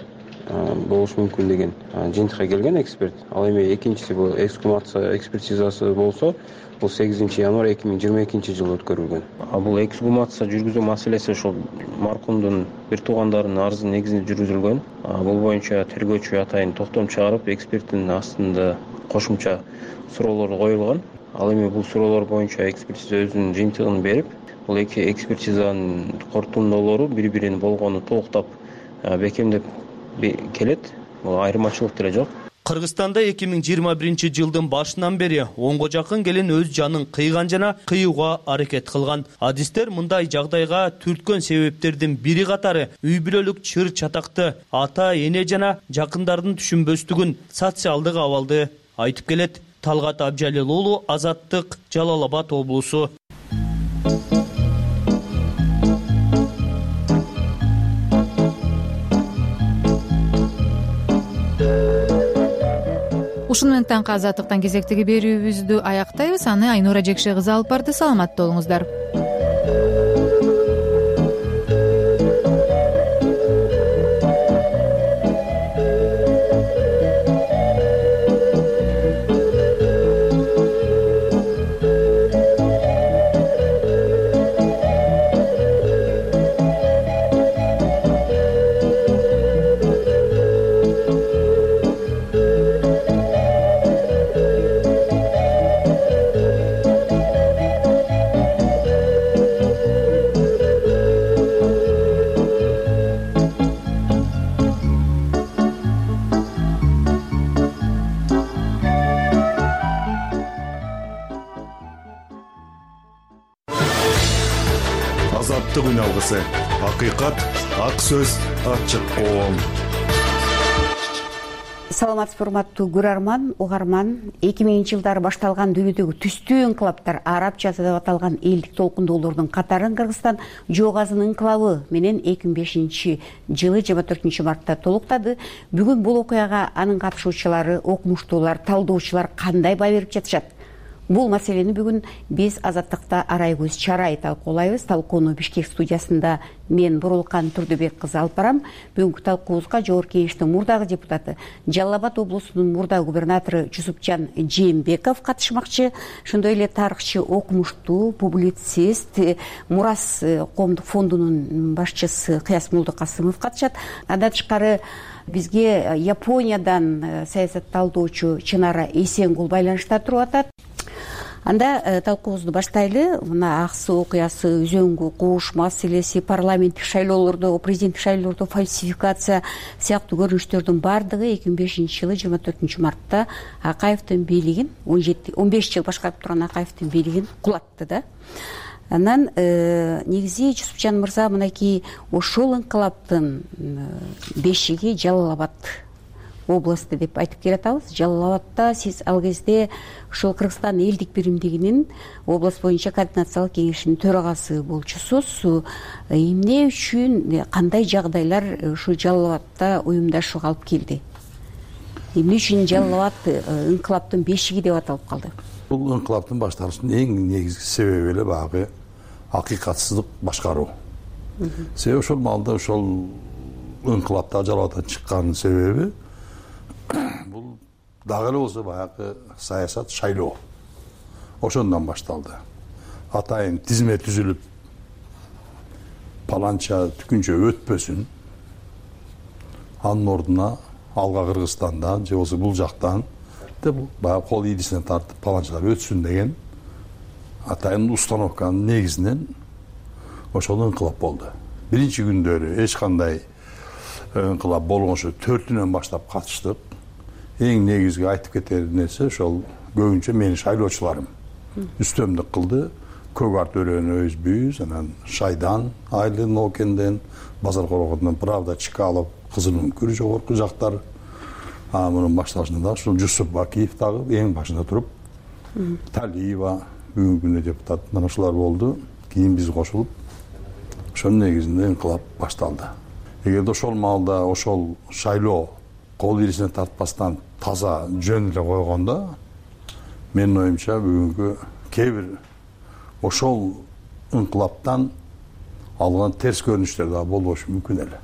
болушу мүмкүн деген жыйынтыкка келген эксперт. Ал эми экинчиси бул эксгумация экспертизасы болсо, бул сегизинчи январь эки миң жыйырма экинчи жылы өткөрүлгөн. А бул эксгумация жүргүзүү маселеси ошол маркумдун бир туугандарынын арызы негизинде жүргүзүлгөн. Бул боюнча тергөөчү атайын токтом чыгарып, эксперттин астында кошумча суроолор коюлган. Ал эми бул суроолор боюнча экспертиза өзүнүн жыйынтыгын берип, бул эки экспертизанын корутундулары бири-бирин болгону толуктап бекемдеп келет. Бул айырмачылык деле жок. Кыргызстанда эки миң жыйырма биринчи жылдын башынан бери онго жакын келин өз жанын кыйган жана кыюуга аракет кылган. Адистер мындай жагдайга түрткөн себептердин бири катары үй бүлөлүк чыр чатакты, ата, эне жана жакындардын түшүнбөстүгүн, социалдык абалды айтып келет. Талгат Абжалил уулу, Азаттык, Жалал Абад облусу. ушуну менен таңкы азаттыктан кезектеги берүүбүздү аяктайбыз. Аны Айнура Жекше кызы алып барды. Саламатта болуңуздар. Азаттык үн алгысы. Акыйкат, ак сөз, ачык коом. Саламатсызбы, урматтуу көрөрман, угарман. эки миңинчи жылдары башталган дүйнөдөгү түстүү инкылаптар, арабчасы деп аталган элдик толкундоолордун катарын Кыргызстан жоо газын инкылабы менен эки миң бешинчи жылы жыйырма төртүнчү мартта толуктады. Бүгүн бул окуяга анын катышуучулары, окумуштуулар, талдоочулар кандай баа берип жатышат? Бул маселени бүгүн биз Азаттыкта арай көз чарай талкуулайбыз. Талкууну Бишкек студиясында мен Бурулкан Турдубек кызы алып барам. Бүгүнкү талкуубузга Жогорку Кеңештин мурдагы депутаты, Жалал Абад облусунун мурдагы губернатору Жусупжан Жээнбеков катышмакчы. Ошондой эле тарыхчы, окумуштуу, публицист, Мурас коомдук фондунун башчысы Кыяс Молдокасымов катышат. Андан тышкары бизге Япониядан саясатталдоочу Чынара Эсенгул байланышта туруп атат. Анда талкуубузду баштайлы. Мына ак суу окуясы, үзөңгү кууш маселеси, парламенттик шайлоолордо, президенттик шайлоолордо фальсификация сыяктуу көрүнүштөрдүн баардыгы эки миң бешинчи жылы жыйырма төртүнчү мартта Акаевдин бийлигин, он жети он беш жыл башкарып турган Акаевдин бийлигин кулатты да. Анан негизи Жусупжан мырза мынакей ошол инкылаптын бешиги Жалал Абад областы деп айтып келатабыз. Жалал Абадта сиз ал кезде ушул Кыргызстан элдик биримдигинин област боюнча координациялык кеңешинин төрагасы болчусуз. Эмне үчүн, кандай жагдайлар ушул Жалал Абадта уюмдашууга алып келди? Эмне үчүн Жалал Абад инкылаптын бешиги деп аталып калды? Бул инкылаптын башталышынын эң негизги себеби эле баягы акыйкатсыздык башкаруу. Себеби ошол маалда ошол инкылапта Жалал Абадтан чыккан себеби бул дагы эле болсо баягы саясат, шайлоо. Ошондон башталды. Атайын тизме түзүлүп, паланча түкүнчө өтпөсүн, анын ордуна алга Кыргызстандан же болбосо бул жактан деп баягы кол ийдисине тартып паланчалар өтсүн деген атайын установканын негизинен ошол инкылап болду. Биринчи күндөрү эч кандай инкылап болгончо төртүнөн баштап катыштык. Эң негизги айтып кетер нерсе ошол көбүнчө менин шайлоочуларым үстөмдүк кылды. Көк арт өрөөнү өзбүз, анан Шайдан, Айлын Окенден, Базар Корогодон Правда, Чкалов, Кызылын Күр жогорку жактар. А мунун башталышында ушул Жусуп Бакиев дагы эң башында туруп, Талиева бүгүнкү күндө депутат, мына ушулар болду. Кийин биз кошулуп, ошонун негизинде инкылап башталды. Эгерде ошол маалда ошол шайлоо кол ийдисине тартпастан таза жөн эле койгондо, менин оюмча бүгүнкү кээ бир ошол инкылаптан алган терс көрүнүштөр да болбошу мүмкүн эле.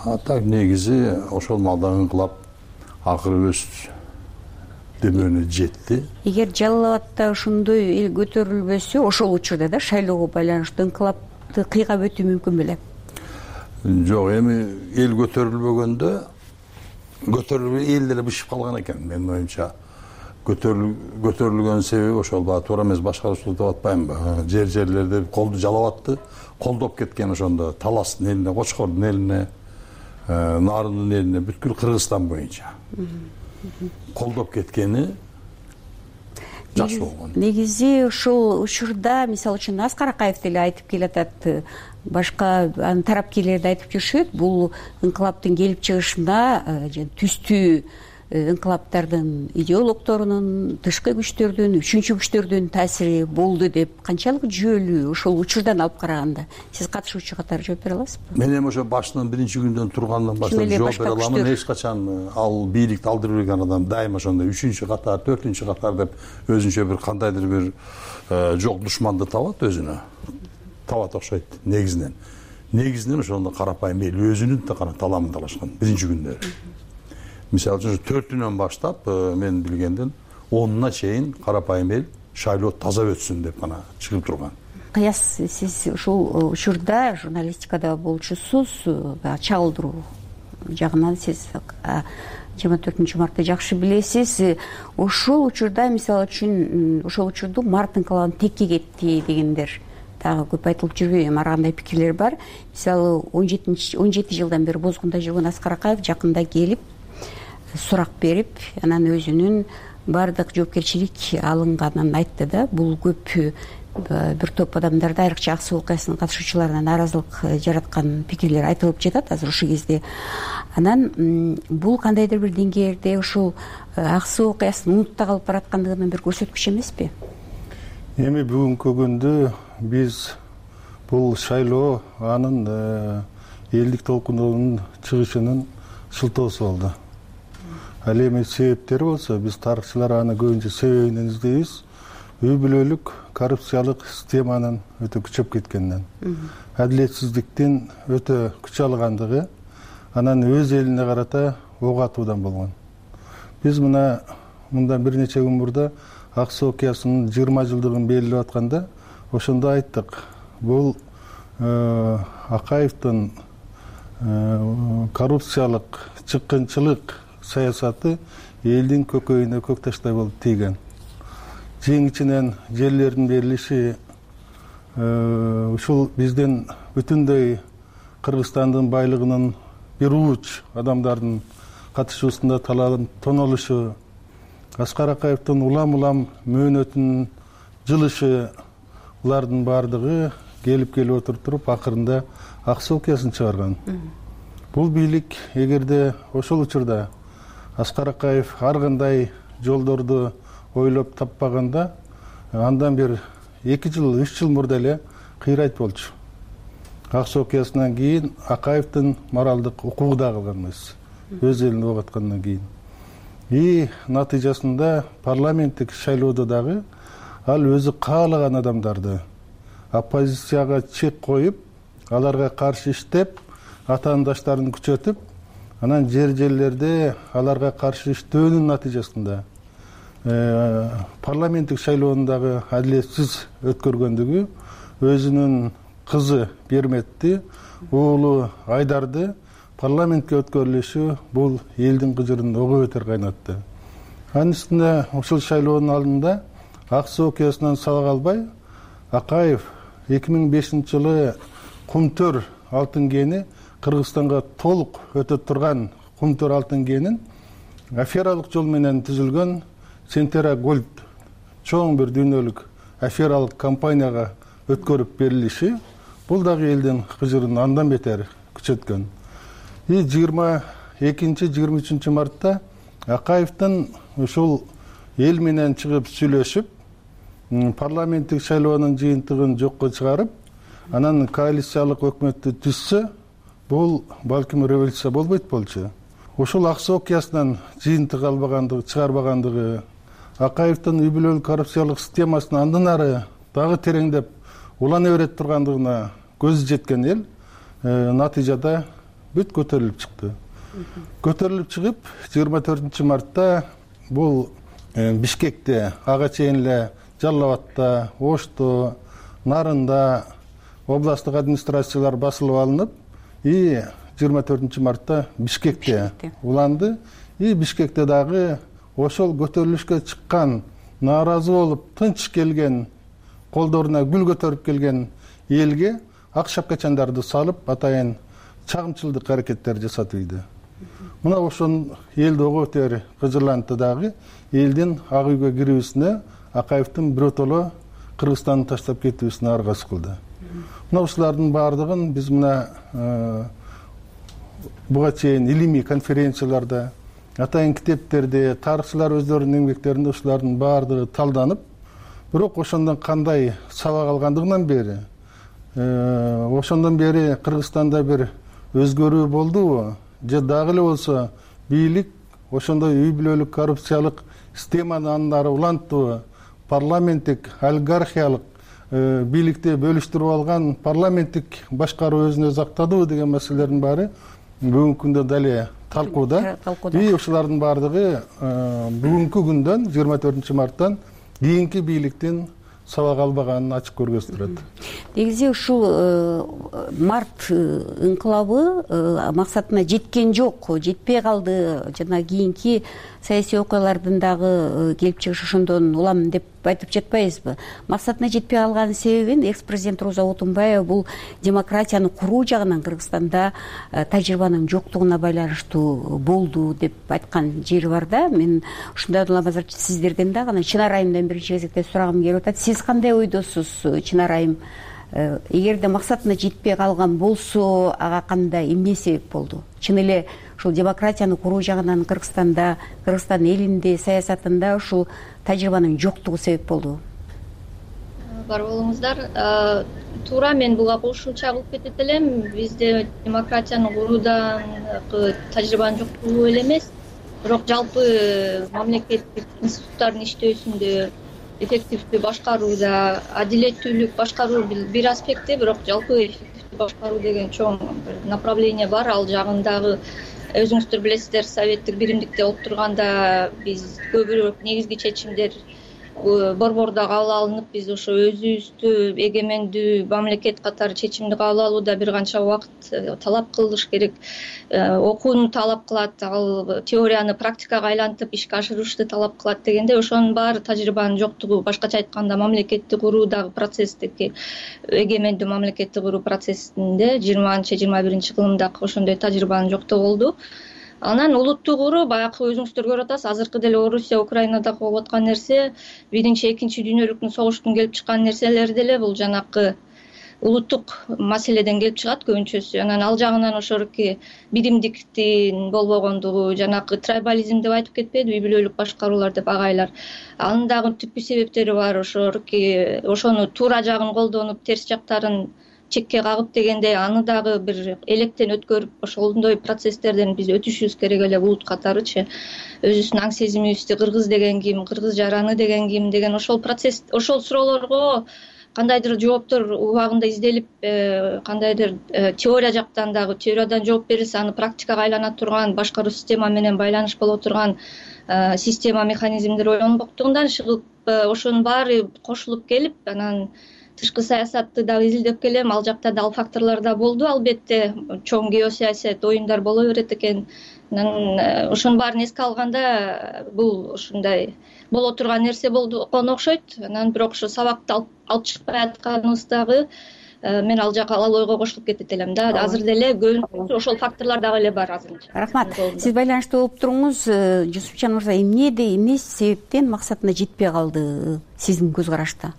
А так негизи ошол маалда инкылап акыры өз дөмөнү жетти. Эгер Жалал Абадта ошондой эл көтөрүлбөсө, ошол учурда да шайлоого байланыштуу инкылапты кыйгап өтүү мүмкүн беле? Жок, эми эл көтөрүлбөгөндө көтөрүлбөй эл деле бышып калган экен. Менин оюмча көтөрүлгөн себеби ошол баа туура эмес башкаруучулук деп атпаймынбы? Жер жерлерде колду Жалал Абадты колдоп кеткен ошондо Таластын элине, Кочкордун элине, Нарындын элине, бүткүл Кыргызстан боюнча колдоп кеткени жакшы болгон. Негизи ушул учурда мисалы үчүн Аскар Акаев деле айтып келатат, башка анын тарапкерлери да айтып жүрүшөт, бул инкылаптын келип чыгышына түстүү инкылаптардын идеологторунун, тышкы күчтөрдүн, үчүнчү күчтөрдүн таасири болду деп канчалык жүйөлүү ошол учурдан алып караганда сиз катышуучу катары жооп бере аласызбы? Мен эми ошо башынан биринчи күндөн тургандан баштап жооп бере аламын. Эч качан ал бийликти алдырып берген адам дайыма ошондой үчүнчү катар, төртүнчү катар деп өзүнчө бир кандайдыр бир жок душманды табат, өзүнө табат окшойт. Негизинен негизинен ошондо карапайым эл өзүнүн таламын талашкан биринчи күндөрү. Мисалы үчүн төртүнөн баштап мен билгенден онуна чейин карапайым эл шайлоо таза өтсүн деп гана чыгып турган. Кыяс, сиз ушул учурда журналистикада болчусуз, чагылдыруу жагынан сиз жыйырма төртүнчү мартты жакшы билесиз. Ошол учурда мисалы үчүн ошол учурду март инкылабын текке кетти дегендер дагы көп айтылып жүрбөйбү? Ар кандай пикирлер бар. Мисалы он жети жылдан бери бозгунда жүргөн Аскар Акаев жакында келип сурак берип, анан өзүнүн баардык жоопкерчилик алынганын айтты да. Бул көп бир топ адамдарда, айрыкча ак суу окуясынын катышуучуларына нааразылык жараткан пикирлер айтылып жатат азыр ушул кезде. Анан бул кандайдыр бир деңгээлде ушул ак суу окуясын унутта калып бараткандыгынын бир көрсөткүчү эмеспи? Эми бүгүнкү күндө биз бул шайлоо анын элдик толкундун чыгышынын шылтоосу болду. Ал эми себептери болсо биз тарыхчылар аны көбүнчө себебинен издейбиз. Үй бүлөлүк коррупциялык системанын өтө күчөп кеткенинен, адилетсиздиктин өтө күч алгандыгы, анан өз элине карата ок атуудан болгон. Биз мына мындан бир нече күн мурда ак суу окуясынын жыйырма жылдыгын белгилеп атканда ошондо айттык. Бул Акаевдин коррупциялык, чыккынчылык саясаты элдин көкөйүнө көк таштай болуп тийген. Жең ичинен жерлердин берилиши ушул биздин бүтүндөй Кыргызстандын байлыгынын бир ууч адамдардын катышуусунда тонолушу, Аскар Акаевдин улам-улам мөөнөтүнүн жылышы, булардын баардыгы келип келип отуруп туруп акырында ак суу окуясын чыгарган. Бул бийлик эгерде ошол учурда Аскар Акаев ар кандай жолдорду ойлоп таппаганда, андан бир эки жыл, үч жыл мурда эле кыйрайт болчу. Ак суу окуясынан кийин Акаевдин моралдык укугу да калган эмес, өз элин ок аткандан кийин. И натыйжасында парламенттик шайлоодо дагы ал өзү каалаган адамдарды оппозицияга чек коюп, аларга каршы иштеп, атаандаштарын күчөтүп, анан жер-жерлерде аларга каршы иштөөнүн натыйжасында парламенттик шайлоонун дагы адилетсиз өткөргөндүгү, өзүнүн кызы Берметти, уулу Айдарды парламентке өткөрүлүшү бул элдин кыжырын ого бетер кайнатты. Анын үстүнө ушул шайлоонун алдында ак суу окуясынан сала калбай, Акаев эки миң бешинчи жылы Кумтөр алтын кени, Кыргызстанга толук өтө турган Кумтөр алтын кенин афералык жол менен түзүлгөн Сентера Голд чоң бир дүйнөлүк афералык компанияга өткөрүп берилиши бул дагы элдин кыжырын андан бетер күчөткөн. И жыйырма экинчи жыйырма үчүнчү мартта Акаевдин ушул эл менен чыгып сүйлөшүп, парламенттик шайлоонун жыйынтыгын жокко чыгарып, анан коалициялык өкмөттү түзсө, бул балким революция болбойт болчу. Ушул ак суу окуясынан жыйынтык албагандыгы, чыгарбагандыгы, Акаевдин үй бүлөлүк коррупциялык системасын андан ары дагы тереңдеп улана берет тургандыгына көзү жеткен эл натыйжада бүт көтөрүлүп чыкты. Көтөрүлүп чыгып, жыйырма төртүнчү мартта бул Бишкекте, ага чейин эле Жалал абадта, Ошто, Нарында областтык администрациялар басылып алынып, и жыйырма төртүнчү мартта Бишкекте уланды. И Бишкекте дагы ошол көтөрүлүшкө чыккан, нааразы болуп, тынч келген, колдоруна гүл көтөрүп келген элге ак шапкачандарды салып, атайын чагымчылдык аракеттер жасатып ийди. Мына ошон элди ого бетер кыжырлантты дагы, элдин ак үйгө кирүүсүнө, Акаевдин биротоло Кыргызстанды таштап кетүүсүнө аргасыз кылды. Мына ушулардын баардыгын биз мына буга чейин илимий конференцияларда, атайын китептерде, тарыхчылар өздөрүнүн эмгектеринде ушулардын баардыгы талданып, бирок ошондон кандай сабак алгандыгынан бери, ошондон бери Кыргызстанда бир өзгөрүү болдубу же дагы эле болсо бийлик ошондой үй бүлөлүк коррупциялык системаны андан ары уланттыбы, парламенттик олигархиялык бийликти бөлүштүрүп алган парламенттик башкаруу өзүн өзү актадыбы деген маселелердин баары бүгүнкү күндө дале талкууда. И ушулардын баардыгы бүгүнкү күндөн жыйырма төртүнчү марттан кийинки бийликтин сабак албаганын ачык көргөзүп турат. Негизи ушул март инкылабы максатына жеткен жок, жетпей калды. Жана кийинки саясий окуялардын дагы келип чыгышы ошондон улам деп айтып жатпайбызбы? Максатына жетпей калганын себебин экс-президент Роза Отунбаева бул демократияны куруу жагынан Кыргызстанда тажрыйбанын жоктугуна байланыштуу болду деп айткан жери бар да. Мен ушундай улам азыр сиздерден дагы анан Чынар айымдан биринчи кезекте сурагым келип атат. Сиз кандай ойдосуз, Чынар айым? Эгерде максатына жетпей калган болсо, ага кандай эмне себеп болду? Чын эле ушул демократияны куруу жагынан Кыргызстанда, Кыргызстан элинде, саясатында ушул тажрыйбанын жоктугу себеп болду? Бар болуңуздар. Туура, мен буга кошумча кылып кетет элем. Бизде демократияны куруудан тажрыйбанын жоктугу эле эмес, бирок жалпы мамлекеттик институттардын иштөөсүндө, эффективдүү башкарууда, адилеттүүлүк башкаруу бир аспекти, бирок жалпы эффективдүү башкаруу деген чоң направление бар. Ал жагындагы өзүңүздөр билесиздер, советтик биримдикте отурганда биз көбүрөөк негизги чечимдер борбордо кабыл алынып, биз ошо өзүбүздү эгемендүү мамлекет катары чечимди кабыл алууда бир канча убакыт талап кылыш керек, окууну талап кылат, ал теорияны практикага айлантып ишке ашырышты талап кылат дегенде, ошонун баары тажрыйбанын жоктугу. Башкача айтканда, мамлекетти куруудагы процесстеги, эгемендүү мамлекетти куруу процессинде жыйырманчы жыйырма биринчи кылымдагы ошондой тажрыйбанын жоктугу болду. Анан улутту куруу, баягы өзүңүздөр көрүп атасыз, азыркы деле Орусия, Украинада болуп аткан нерсе, биринчи, экинчи дүйнөлүк согуштун келип чыккан нерселери деле бул жанакы улуттук маселеден келип чыгат көбүнчөсү. Анан ал жагынан ошоруки биримдиктин болбогондугу, жанакы трайбализм деп айтып кетпедиби, үй бүлөлүк башкаруулар деп агайлар. Анын дагы түпкү себептери бар. Ошоруки ошону туура жагын колдонуп, терс жактарын чекке кагып дегендей, аны дагы бир электен өткөрүп, ошондой процесстерден биз өтүшүбүз керек эле, улут катарычы. Өзүбүздүн аң сезимибизди, кыргыз деген ким, кыргыз жараны деген ким деген ошол процесс, ошол суроолорго кандайдыр жооптор убагында изделип, кандайдыр теория жактан дагы теориядан жооп берилсе, аны практикага айлана турган, башкаруу система менен байланыш боло турган система, механизмдер ойлонбоктугунан чыгып, ошонун баары кошулуп келип, анан тышкы саясатты дагы изилдеп келем. Ал жакта да ал факторлор да болду, албетте. Чоң геосаясат оюндар боло берет экен. Анан ошонун баарын эске алганда, бул ушундай боло турган нерсе болгону окшойт. Анан бирок ошо сабакты алып чыкпай атканыбыздагы мен ал жака ал ойго кошулуп кетет элем да. Азыр деле көбүнчөсү ошол факторлор дагы эле бар азырынча. Рахмат. Сиз байланышта болуп туруңуз. Жусупжан мырза, эмнеде, эмне себептен максатына жетпей калды сиздин көз карашта?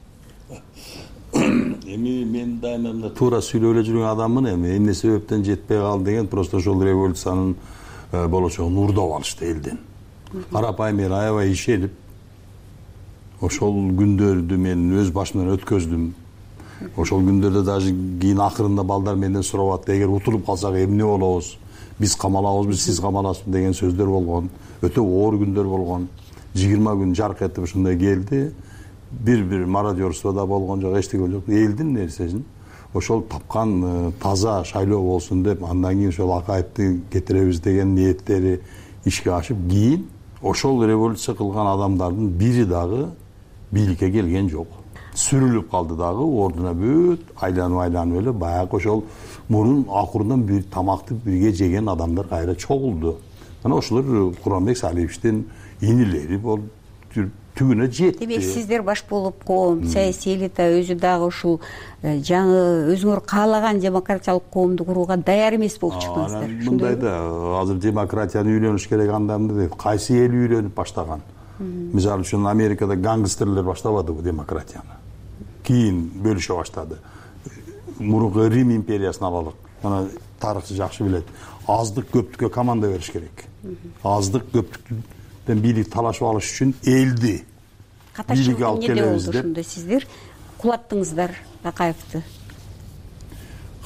Эми мен дайыма туура сүйлөп эле жүргөн адаммын. Эми эмне себептен жетпей калды деген просто ошол революциянын болочогун урдап алышты элден. Карапайым эл аябай ишенип, ошол күндөрдү мен өз башымдан өткөздүм. Ошол күндөрдө даже кийин акырында балдар менден сурап атты, эгер утулуп калсак эмне болобуз, биз камалабызбы, сиз камаласызбы деген сөздөр болгон. Өтө оор күндөр болгон. жыйырма күн жарк этип ушундай келди. Бир-бир мародерство да болгон жок, эчтеке жок. Элдин нерсесин ошол тапкан таза шайлоо болсун деп, андан кийин ошол Акаевди кетиребиз деген ниеттери ишке ашып, кийин ошол революция кылган адамдардын бири дагы бийликке келген жок. Сүрүлүп калды дагы, ордуна бүт айланып-айланып эле баягы ошол мурун акырдан бир тамакты бирге жеген адамдар кайра чогулду. Анан ошолор Куранбек Салиевичтин инилери болуп түгүнө жетти. Демек, сиздер баш болуп, коом, саясий элита өзү дагы ушул жаңы өзүңөр каалаган демократиялык коомду курууга даяр эмес болуп чыктыңыздар. Мындай да, азыр демократияны үйрөнүш керек анда дейт. Кайсы эл үйрөнүп баштаган? Мисалы үчүн Америкада гангстерлер баштабадыбы демократияны? Кийин бөлүшө баштады. Мурунку Рим империясын алалык. Ана тарыхчы жакшы билет. аздык көптүккө команда бериш керек. Аздык көптүктөн бийлик талашып алыш үчүн элди бийликке алып келебиз деп. Ошондо сиздер кулаттыңыздар Акаевди.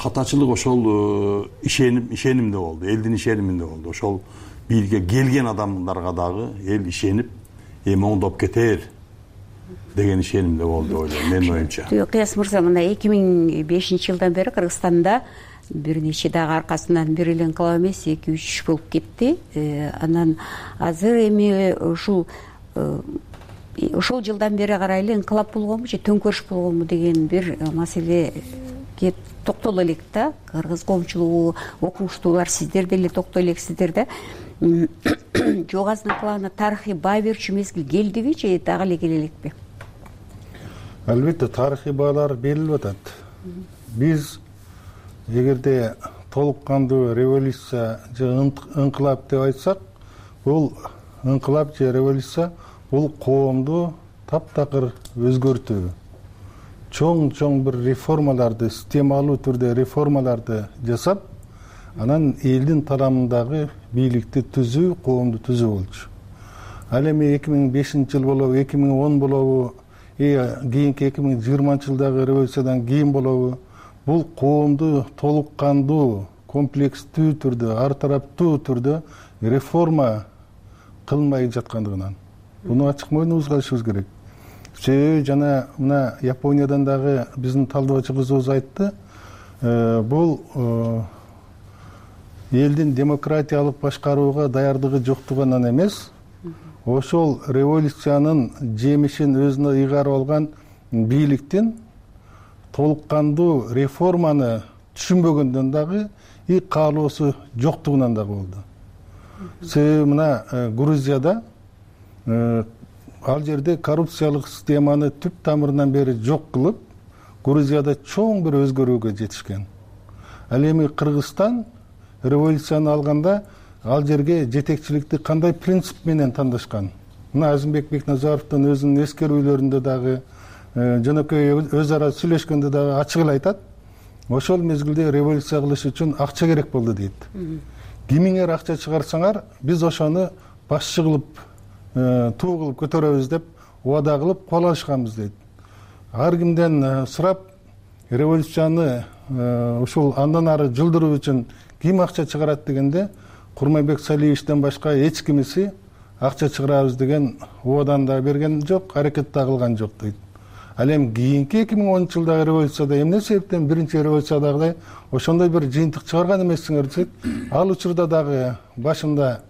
Катачылык ошол ишеним ишенимде болду, элдин ишениминде болду. Ошол бийликке келген адамдарга дагы эл ишенип, эми оңдоп кетер деген ишенимде болду ойлойм, менин оюмча. Кыяс мырза, мына эки миң бешинчи жылдан бери Кыргызстанда бир нече дагы аркасынан бир эле инкылап эмес, эки үч болуп кетти. Анан азыр эми ушул ошол жылдан бери карай эле инкылап болгонбу же төңкөрүш болгонбу деген бир маселеге токтоло элек да. Кыргыз коомчулугу, окумуштуулар, сиздер деле токтой элексиздер да. Жогазын инкылабына тарыхый баа берүүчү мезгил келдиби же дагы эле келе элекпи? Албетте тарыхый баалар берилип атат. Биз эгерде толук кандуу революция же инкылап деп айтсак, бул инкылап же революция бул коомду таптакыр өзгөртүү, чоң-чоң бир реформаларды, системалуу түрдө реформаларды жасап, анан элдин тарамындагы бийликти түзүү, коомду түзүү болчу. Ал эми эки миң бешинчи жыл болобу, эки миң он болобу, кийинки эки миң жыйырманчы жылдагы революциядан кийин болобу, бул коомду толук кандуу, комплекстүү түрдө, ар тараптуу түрдө реформа кылмай жаткандыгынан. Буну ачык мойнубузга алышыбыз керек. Себеби жана мына Япониядан дагы биздин талдоочу кызыбыз айтты, бул элдин демократиялык башкарууга даярдыгы жоктугунан эмес, ошол революциянын жемишин өзүнө ыйгарып алган бийликтин толук кандуу реформаны түшүнбөгөндөн дагы и каалоосу жоктугунан дагы болду. Себеби мына Грузияда ал жерде коррупциялык системаны түп тамырынан бери жок кылып, Грузияда чоң бир өзгөрүүгө жетишкен. Ал эми Кыргызстан революцияны алганда ал жерге жетекчиликти кандай принцип менен тандашкан? Мына Азимбек Бекназаровдун өзүнүн эскерүүлөрүндө дагы, жөнөкөй өз ара сүйлөшкөндө дагы ачык эле айтат. Ошол мезгилде революция кылыш үчүн акча керек болду дейт. Кимиңер акча чыгарсаңар, биз ошону башчы кылып, туу кылып көтөрөбүз деп убада кылып кол алышканбыз дейт. Ар кимден сурап, революцияны ушул андан ары жылдыруу үчүн ким акча чыгарат дегенде, Курманбек Салиевичтен башка эч кимиси акча чыгарабыз деген убадан да берген жок, аракет да кылган жок дейт. Ал эми кийинки эки миң онунчу жылдагы революцияда эмне себептен биринчи революциядагыдай ошондой бир жыйынтык чыгарган эмессиңер десек, ал учурда дагы башында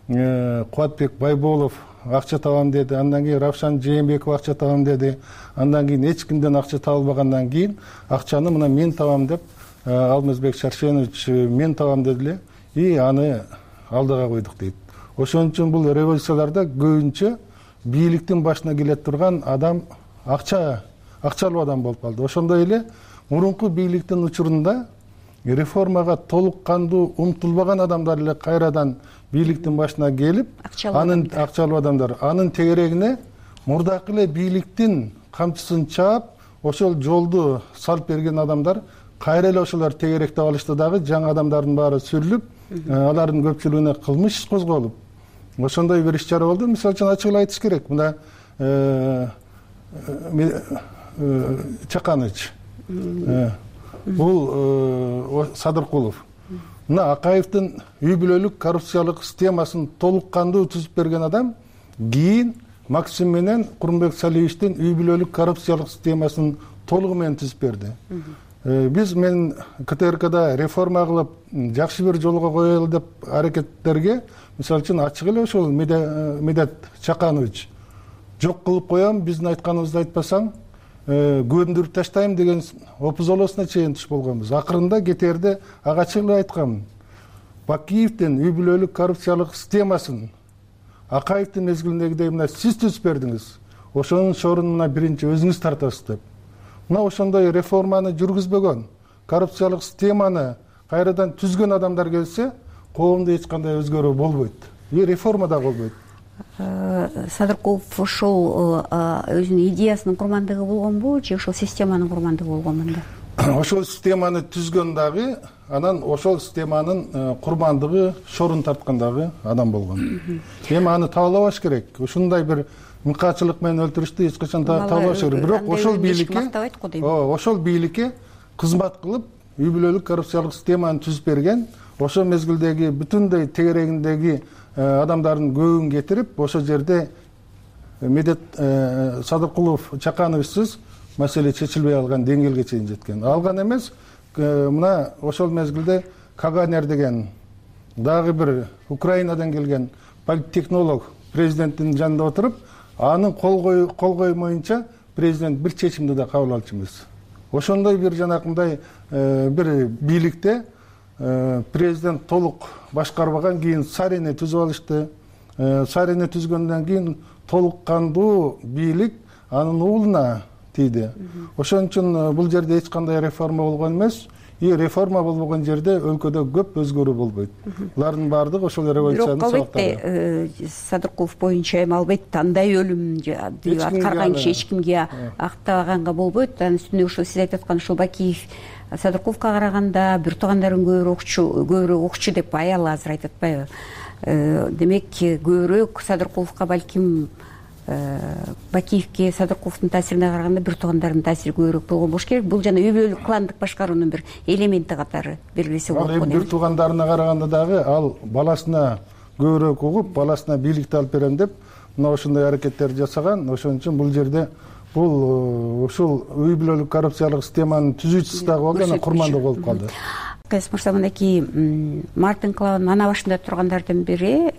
Кубатбек Байболов акча табам деди, андан кийин Равшан Жээнбеков акча табам деди, андан кийин эч кимден акча табылбагандан кийин акчаны мына мен табам деп Алмазбек Шаршенович мен табам деди эле, и аны алдыга койдук дейт. Ошон үчүн бул революцияларда көбүнчө бийликтин башына келе турган адам акча акчалуу адам болуп калды. Ошондой эле мурунку бийликтин учурунда реформага толук кандуу умтулбаган адамдар эле кайрадан бийликтин башына келип, анын акчалуу адамдар, анын тегерегине мурдакы эле бийликтин камчысын чаап, ошол жолду салып берген адамдар кайра эле ошолор тегеректе алышты дагы, жаңы адамдардын баары сүрүлүп, алардын көпчүлүгүнө кылмыш козголуп, ошондой бир иш чара болду. Мисалы үчүн ачык эле айтыш керек, мына Чаканыч, бул Садыркулов, мына Акаевдин үй бүлөлүк коррупциялык системасын толук кандуу түзүп берген адам, кийин Максим менен Курманбек Салиевичтин үй бүлөлүк коррупциялык системасын толугу менен түзүп берди. Биз мен КТРКда реформа кылып, жакшы бир жолго коелу деп аракеттерге, мисалы үчүн ачык эле ошол Медет Чаканович жок кылып коем, биздин айтканыбызды айтпасаң, көндүрүп таштайм деген опузолосуна чейин туш болгонбуз. Акырында кетерде ага ачык эле айткам. Бакиевдин үй бүлөлүк коррупциялык системасын Акаевдин мезгилиндегидей мына сиз түзүп бердиңиз. Ошонун шорун мына биринчи өзүңүз тартасыз деп. Мына ошондой реформаны жүргүзбөгөн, коррупциялык системаны кайрадан түзгөн адамдар келсе, коомдо эч кандай өзгөрүү болбойт. И реформа да болбойт. Садыркулов ошол өзүнүн идеясынын курмандыгы болгонбу же ошол системанын курмандыгы болгонбу? ошол системаны түзгөн дагы, анан ошол системанын курмандыгы, шорун тарткан дагы адам болгон. Эми аны табалабаш керек. Ушундай бир мыкаачылык менен өлтүрүштү эч качан табалабаш керек. Бирок ошол бийликке, ошол бийликке кызмат кылып, үй бүлөлүк коррупциялык системаны түзүп берген, ошол мезгилдеги бүтүндөй тегерегиндеги адамдардын көбүн кетирип, ошол жерде Медет Садыркулов Чакановичсиз маселе чечилбей алган деңгээлге чейин жеткен. Алган эмес, мына ошол мезгилде Каганер деген дагы бир Украинадан келген политтехнолог президенттин жанында отуруп, анын кол коймоюнча президент бир чечимди да кабыл алчу эмес. Ошондой бир жанакындай бир бийликте президент толук башкарбаган, кийин Сарини түзүп алышты. Сарини түзгөндөн кийин толук кандуу бийлик анын уулуна тийди. Ошон үчүн бул жерде эч кандай реформа болгон эмес. И реформа болбогон жерде өлкөдө көп өзгөрүү болбойт. Булардын баардыгы ошол революциянын сабактары. Бирок албетте Садыркулов боюнча эми албетте андай өлүм аткарган киши эч кимге актабаганга болбойт. Анын үстүнө ушул сиз айтып аткан ушул Бакиев Садыркуловго караганда бир туугандарын көбүрөөк окчу, көбүрөөк окчу деп аял азыр айтып атпайбы? Демек көбүрөөк Садыркуловго балким Бакиевке Садыркуловдун таасирине караганда бир туугандардын таасири көбүрөөк болгон болуш керек. Бул жана үй бүлөлүк кландык башкаруунун бир элементи катары белгилесе болот. Ал эми бир туугандарына караганда дагы ал баласына көбүрөөк угуп, баласына бийликти алып берем деп мына ошондой аракеттерди жасаган. Ошон үчүн бул жерде бул ушул үй бүлөлүк коррупциялык системанын түзүүчүсү дагы болду, анан курмандык болуп калды. Кайсы мырза, мынакей март инкылабынын ана башында тургандардын бири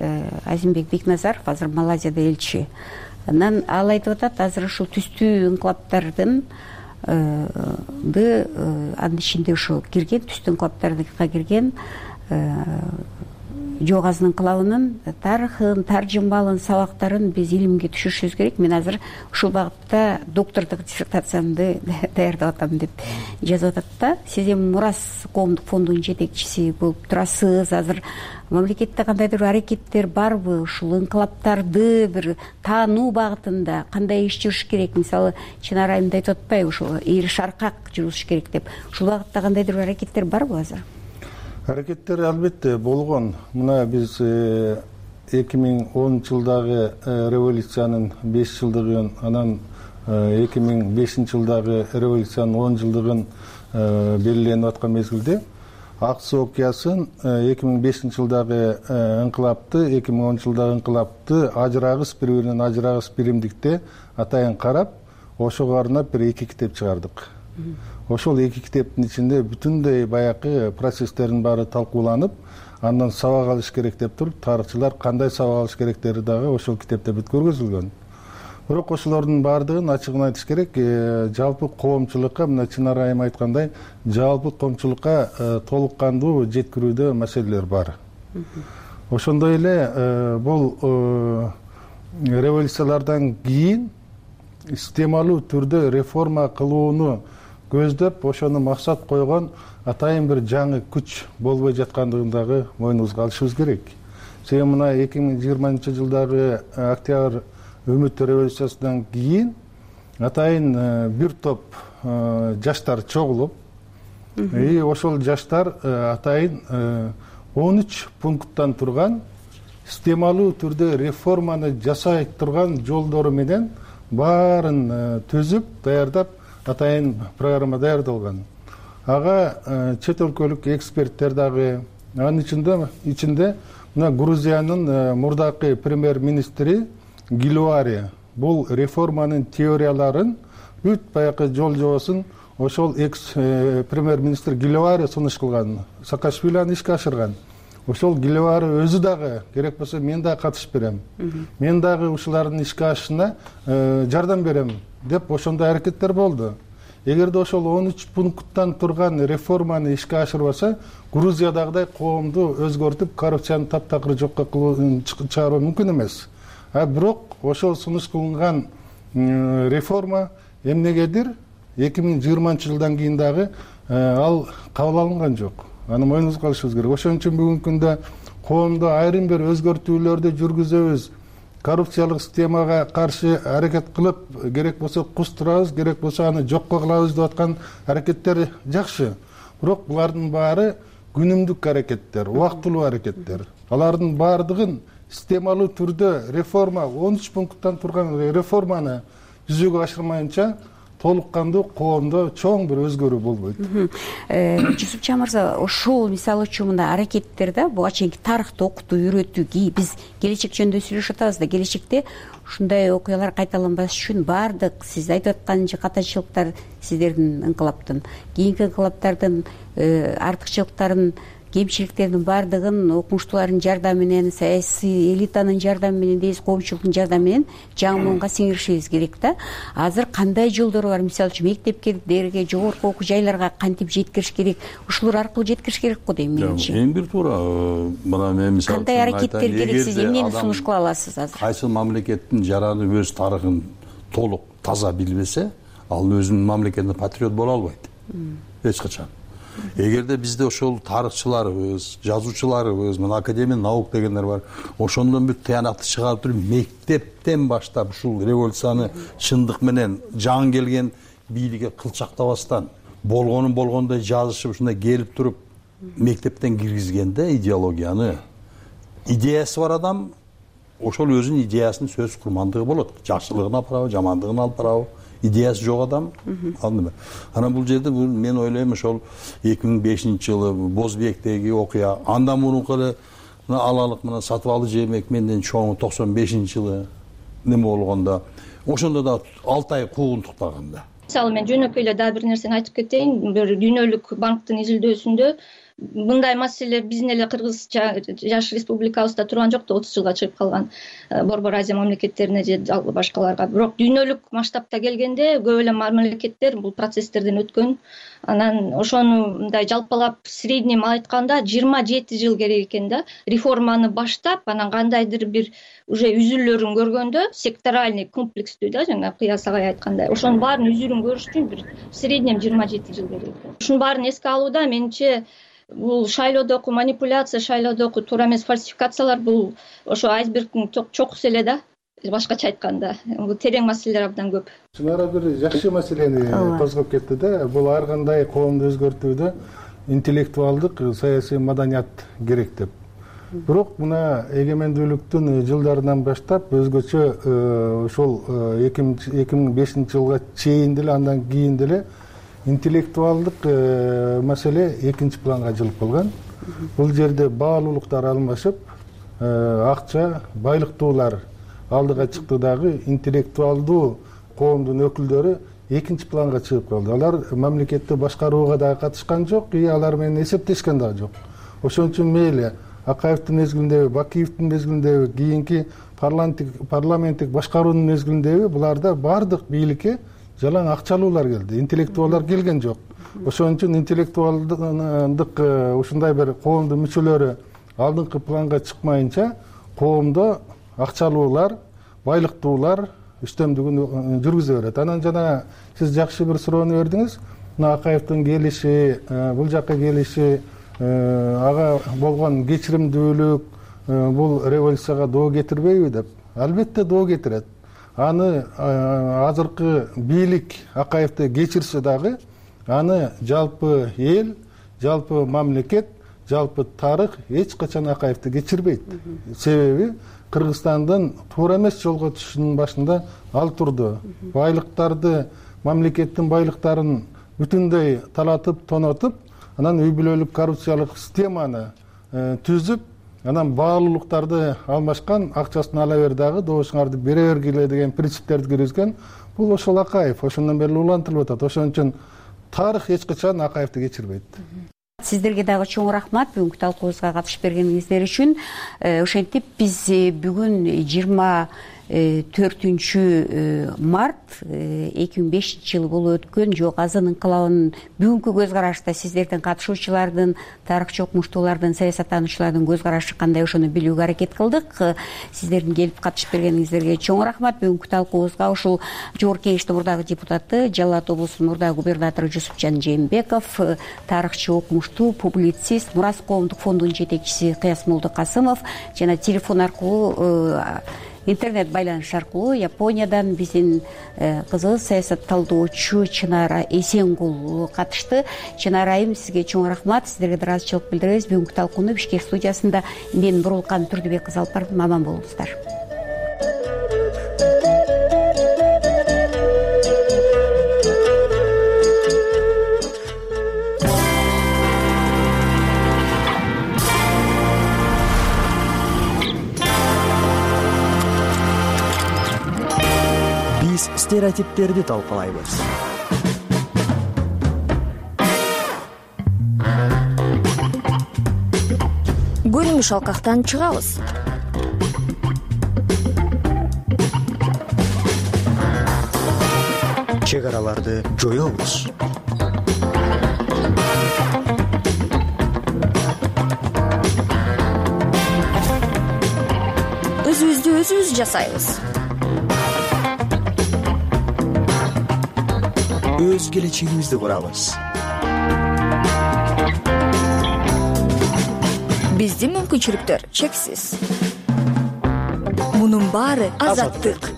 Азимбек Бекназаров, азыр Малайзияда элчи. Анан ал айтып атат, азыр ушул түстүү инкылаптардын анын ичинде ушул кирген, түстүү инкылаптарга кирген Жоғазының инкылабынын тарыхын, таржымалын, сабактарын биз илимге түшүрүшүбүз керек. Мен азыр ушул багытта доктордук диссертациямды даярдап атам деп жазып атат да. Сиз эми Мурас коомдук фондунун жетекчиси болуп турасыз. Азыр мамлекетте кандайдыр аракеттер барбы? Ушул инкылаптарды бир таануу багытында кандай иш жүрүш керек? Мисалы, Чынар айымда айтып атпайбы, ушул ийри шаркак жүрүш керек деп. Ушул багытта кандайдыр аракеттер барбы азыр? Аракеттер албетте болгон. Мына биз эки миң онунчу жылдагы революциянын беш жылдыгын, анан эки миң бешинчи жылдагы революциянын он жылдыгын белгиленип аткан мезгилде ак суу окуясын эки миң бешинчи жылдагы инкылапты, эки миң онунчу жылдагы инкылапты ажырагыс, бири-биринен ажырагыс биримдикте атайын карап, ошого арнап бир эки китеп чыгардык. Ошол эки китептин ичинде бүтүндөй баякы процесстердин баары талкууланып, андан сабак алыш керек деп туруп, тарыхчылар кандай сабак алыш керектери дагы ошол китепте бүт көргөзүлгөн. Бирок ошолордун баардыгын ачыгын айтыш керек, жалпы коомчулукка, мына Чынар айым айткандай, жалпы коомчулукка толук кандуу жеткирүүдө маселелер бар. Ошондой эле бул революциялардан кийин системалуу түрдө реформа кылууну көздөп, ошону максат койгон атайын бир жаңы күч болбой жаткандыгын дагы мойнубузга алышыбыз керек. Себеби мына эки миң жыйырманчы жылдагы октябрь үмүт революциясынан кийин атайын бир топ жаштар чогулуп, и ошол жаштар атайын он үч пункттан турган системалуу түрдө реформаны жасай турган жолдору менен баарын түзүп, даярдап, атайын программа даярдалган. Ага чет өлкөлүк эксперттер дагы, анын ичинде ичинде мына Грузиянын мурдакы премьер-министри Гилуари бул реформанын теорияларын бүт баякы жол жобосун ошол экс премьер-министр Гилуари сунуш кылган, Саакашвили аны ишке ашырган. Ошол Гилуари өзү дагы керек болсо мен дагы катышып берем. Мен дагы ушулардын ишке ашышына жардам берем деп ошондой аракеттер болду. Эгерде ошол он үч пункттан турган реформаны ишке ашырбаса, Грузиядагыдай коомду өзгөртүп, коррупцияны таптакыр жокко чыгаруу мүмкүн эмес. А бирок ошол сунуш кылынган реформа эмнегедир эки миң жыйырманчы жылдан кийин дагы ал кабыл алынган жок. Аны мойнубузга алышыбыз керек. Ошон үчүн бүгүнкү күндө коомдо айрым бир өзгөртүүлөрдү жүргүзөбүз коррупциялык системага каршы аракет кылып, керек болсо кустурабыз, керек болсо аны жокко кылабыз деп аткан аракеттер жакшы. Бирок булардын баары күнүмдүк аракеттер, убактылуу аракеттер. Алардын баардыгын системалуу түрдө реформа, он үч пункттан турган реформаны жүзөгө ашырмайынча толук кандуу коомдо чоң бир өзгөрүү болбойт. Жусупча мырза, ошол мисалы үчүн мындай аракеттер да буга чейинки тарыхты окутуу, үйрөтүү, биз келечек жөнүндө сүйлөшүп атабыз да, келечекте ушундай окуялар кайталанбаш үчүн баардык сиз айтып аткан катачылыктар, сиздердин инкылаптын, кийинки инкылаптардын артыкчылыктарын, кемчиликтердин баардыгын окумуштуулардын жардамы менен, саясий элитанын жардамы менен, дейбиз, коомчулуктун жардамы менен жаңы муунга сиңиришибиз керек да. Азыр кандай жолдор бар? Мисалы үчүн мектептерге, жогорку окуу жайларга кантип жеткириш керек? Ушулар аркылуу жеткириш керек го дейм менимче. Эң бир туура. Мына мен мисалы кандай аракеттер керек? Сиз эмнени сунуш кыла аласыз азыр? Кайсы мамлекеттин жараны, өз тарыхын толук таза билбесе, ал өзүнүн мамлекетине патриот боло албайт. Эч качан. Эгерде бизде ошол тарыхчыларыбыз, жазуучуларыбыз, мына академия наук дегендер бар, ошондон бир тыянакты чыгарып туруп, мектептен баштап ушул революцияны чындык менен жаңы келген бийликке кылчактабастан болгонун болгондой жазышып, ушундай келип туруп мектептен киргизгенде идеологияны, идеясы бар адам ошол өзүнүн идеясынын сөз курмандыгы болот. Жакшылыгын алып барабы, жамандыгын алып барабы, идеясы жок адам аны. Анан бул жерде мен ойлойм, ошол эки миң бешинчи жылы Бозбектеги окуя, андан мурунку эле алалык мына Сатыбалы Жээнбеков менден чоң токсон бешинчи жылы неме болгондо, ошондо да алты ай куугунтуктаганда. Мисалы мен жөнөкөй эле дагы бир нерсени айтып кетейин. Бир дүйнөлүк банктын изилдөөсүндө мындай маселелер биздин эле Кыргыз жаш республикабызда турган жок да, отуз жылга чыгып калган Борбор Азия мамлекеттерине же башкаларга. Бирок дүйнөлүк масштабта келгенде көп эле мамлекеттер бул процесстерден өткөн. Анан ошону мындай жалпалап средний айтканда жыйырма жети жыл керек экен да, реформаны баштап, анан кандайдыр бир уже үзүлөлөрүн көргөндө, секторальный комплекстүү да, жана Кыяс агай айткандай, ошонун баарын үзүрүн көрүш үчүн бир среднем жыйырма жети жыл керек экен. Ушунун баарын эске алууда менимче бул шайлоодогу манипуляция, шайлоодогу туура эмес фальсификациялар бул ошо айсбергдин чокусу эле да. Башкача айтканда, бул терең маселелер абдан көп. Чынара бир жакшы маселени козгоп кетти да. Бул ар кандай коомду өзгөртүүдө интеллектуалдык, саясий маданият керек деп. Бирок мына эгемендүүлүктүн жылдарынан баштап өзгөчө ошол эки миң бешинчи жылга чейин деле, андан кийин деле интеллектуалдык маселе экинчи планга жылып калган. Бул жерде баалуулуктар алмашып, акча, байлыктуулар алдыга чыкты дагы, интеллектуалдуу коомдун өкүлдөрү экинчи планга чыгып калды. Алар мамлекетти башкарууга дагы катышкан жок, и алар менен эсептешкен дагы жок. Ошон үчүн мейли Акаевдин мезгилиндеби, Бакиевдин мезгилиндеби, кийинки парламенттик башкаруунун мезгилиндеби буларда баардык бийликке жалаң акчалуулар келди, интеллектуалдар келген жок. Ошон үчүн интеллектуалдык ушундай бир коомдун мүчөлөрү алдыңкы планга чыкмайынча, коомдо акчалуулар, байлыктуулар үстөмдүгүн жүргүзө берет. Анан жана сиз жакшы бир суроону бердиңиз. Мына Акаевдин келиши, бул жакка келиши, ага болгон кечиримдүүлүк бул революцияга доо кетирбейби деп? Албетте доо кетирет. Аны азыркы бийлик Акаевди кечирсе дагы, аны жалпы эл, жалпы мамлекет, жалпы тарых эч качан Акаевди кечирбейт. Себеби Кыргызстандын туура эмес жолго түшүшүнүн башында ал турду. Байлыктарды, мамлекеттин байлыктарын бүтүндөй талатып, тонотуп, анан үй бүлөлүк коррупциялык системаны түзүп, анан баалуулуктарды алмашкан, акчасын ала бер дагы, добушуңарды бере бергиле деген принциптерди киргизген. Бул ошол Акаев, ошондон бери улантылып атат. Ошон үчүн тарых эч качан Акаевди кечирбейт. Сиздерге дагы чоң рахмат бүгүнкү талкуубузга катышып бергениңиздер үчүн. Ошентип биз бүгүн жыйырма төртүнчү март эки миң бешинчи жылы болуп өткөн Жок Азын инкылабынын бүгүнкү көз карашта сиздердин катышуучулардын, тарыхчы окумуштуулардын, саясаттануучулардын көз карашы кандай, ошону билүүгө аракет кылдык. Сиздердин келип катышып бергениңиздерге чоң рахмат. Бүгүнкү талкуубузга ушул Жогорку Кеңештин мурдагы депутаты, Жалал Абад облусунун мурдагы губернатору Жусупжан Жээнбеков, тарыхчы, окумуштуу, публицист, Мурас коомдук фондунун жетекчиси Кыяс Молдокасымов жана телефон аркылуу интернет байланыш аркылуу Япониядан биздин кызыбыз саясатталдоочу Чынара Эсенгул катышты. Чынара айым, сизге чоң рахмат. Сиздерге ыраазычылык билдиребиз. Бүгүнкү талкууну Бишкек студиясында мен Бурулкан Турдубек кызы алып бардым. Аман болуңуздар. Биз стереотиптерди талкалайбыз. Көрүнүш алкактан чыгабыз. Чек араларды жоёбуз. Өзүбүздү өзүбүз жасайбыз. Өз келечегибизди курабыз. Биздин мүмкүнчүлүктөр чексиз. Мунун баары азаттык.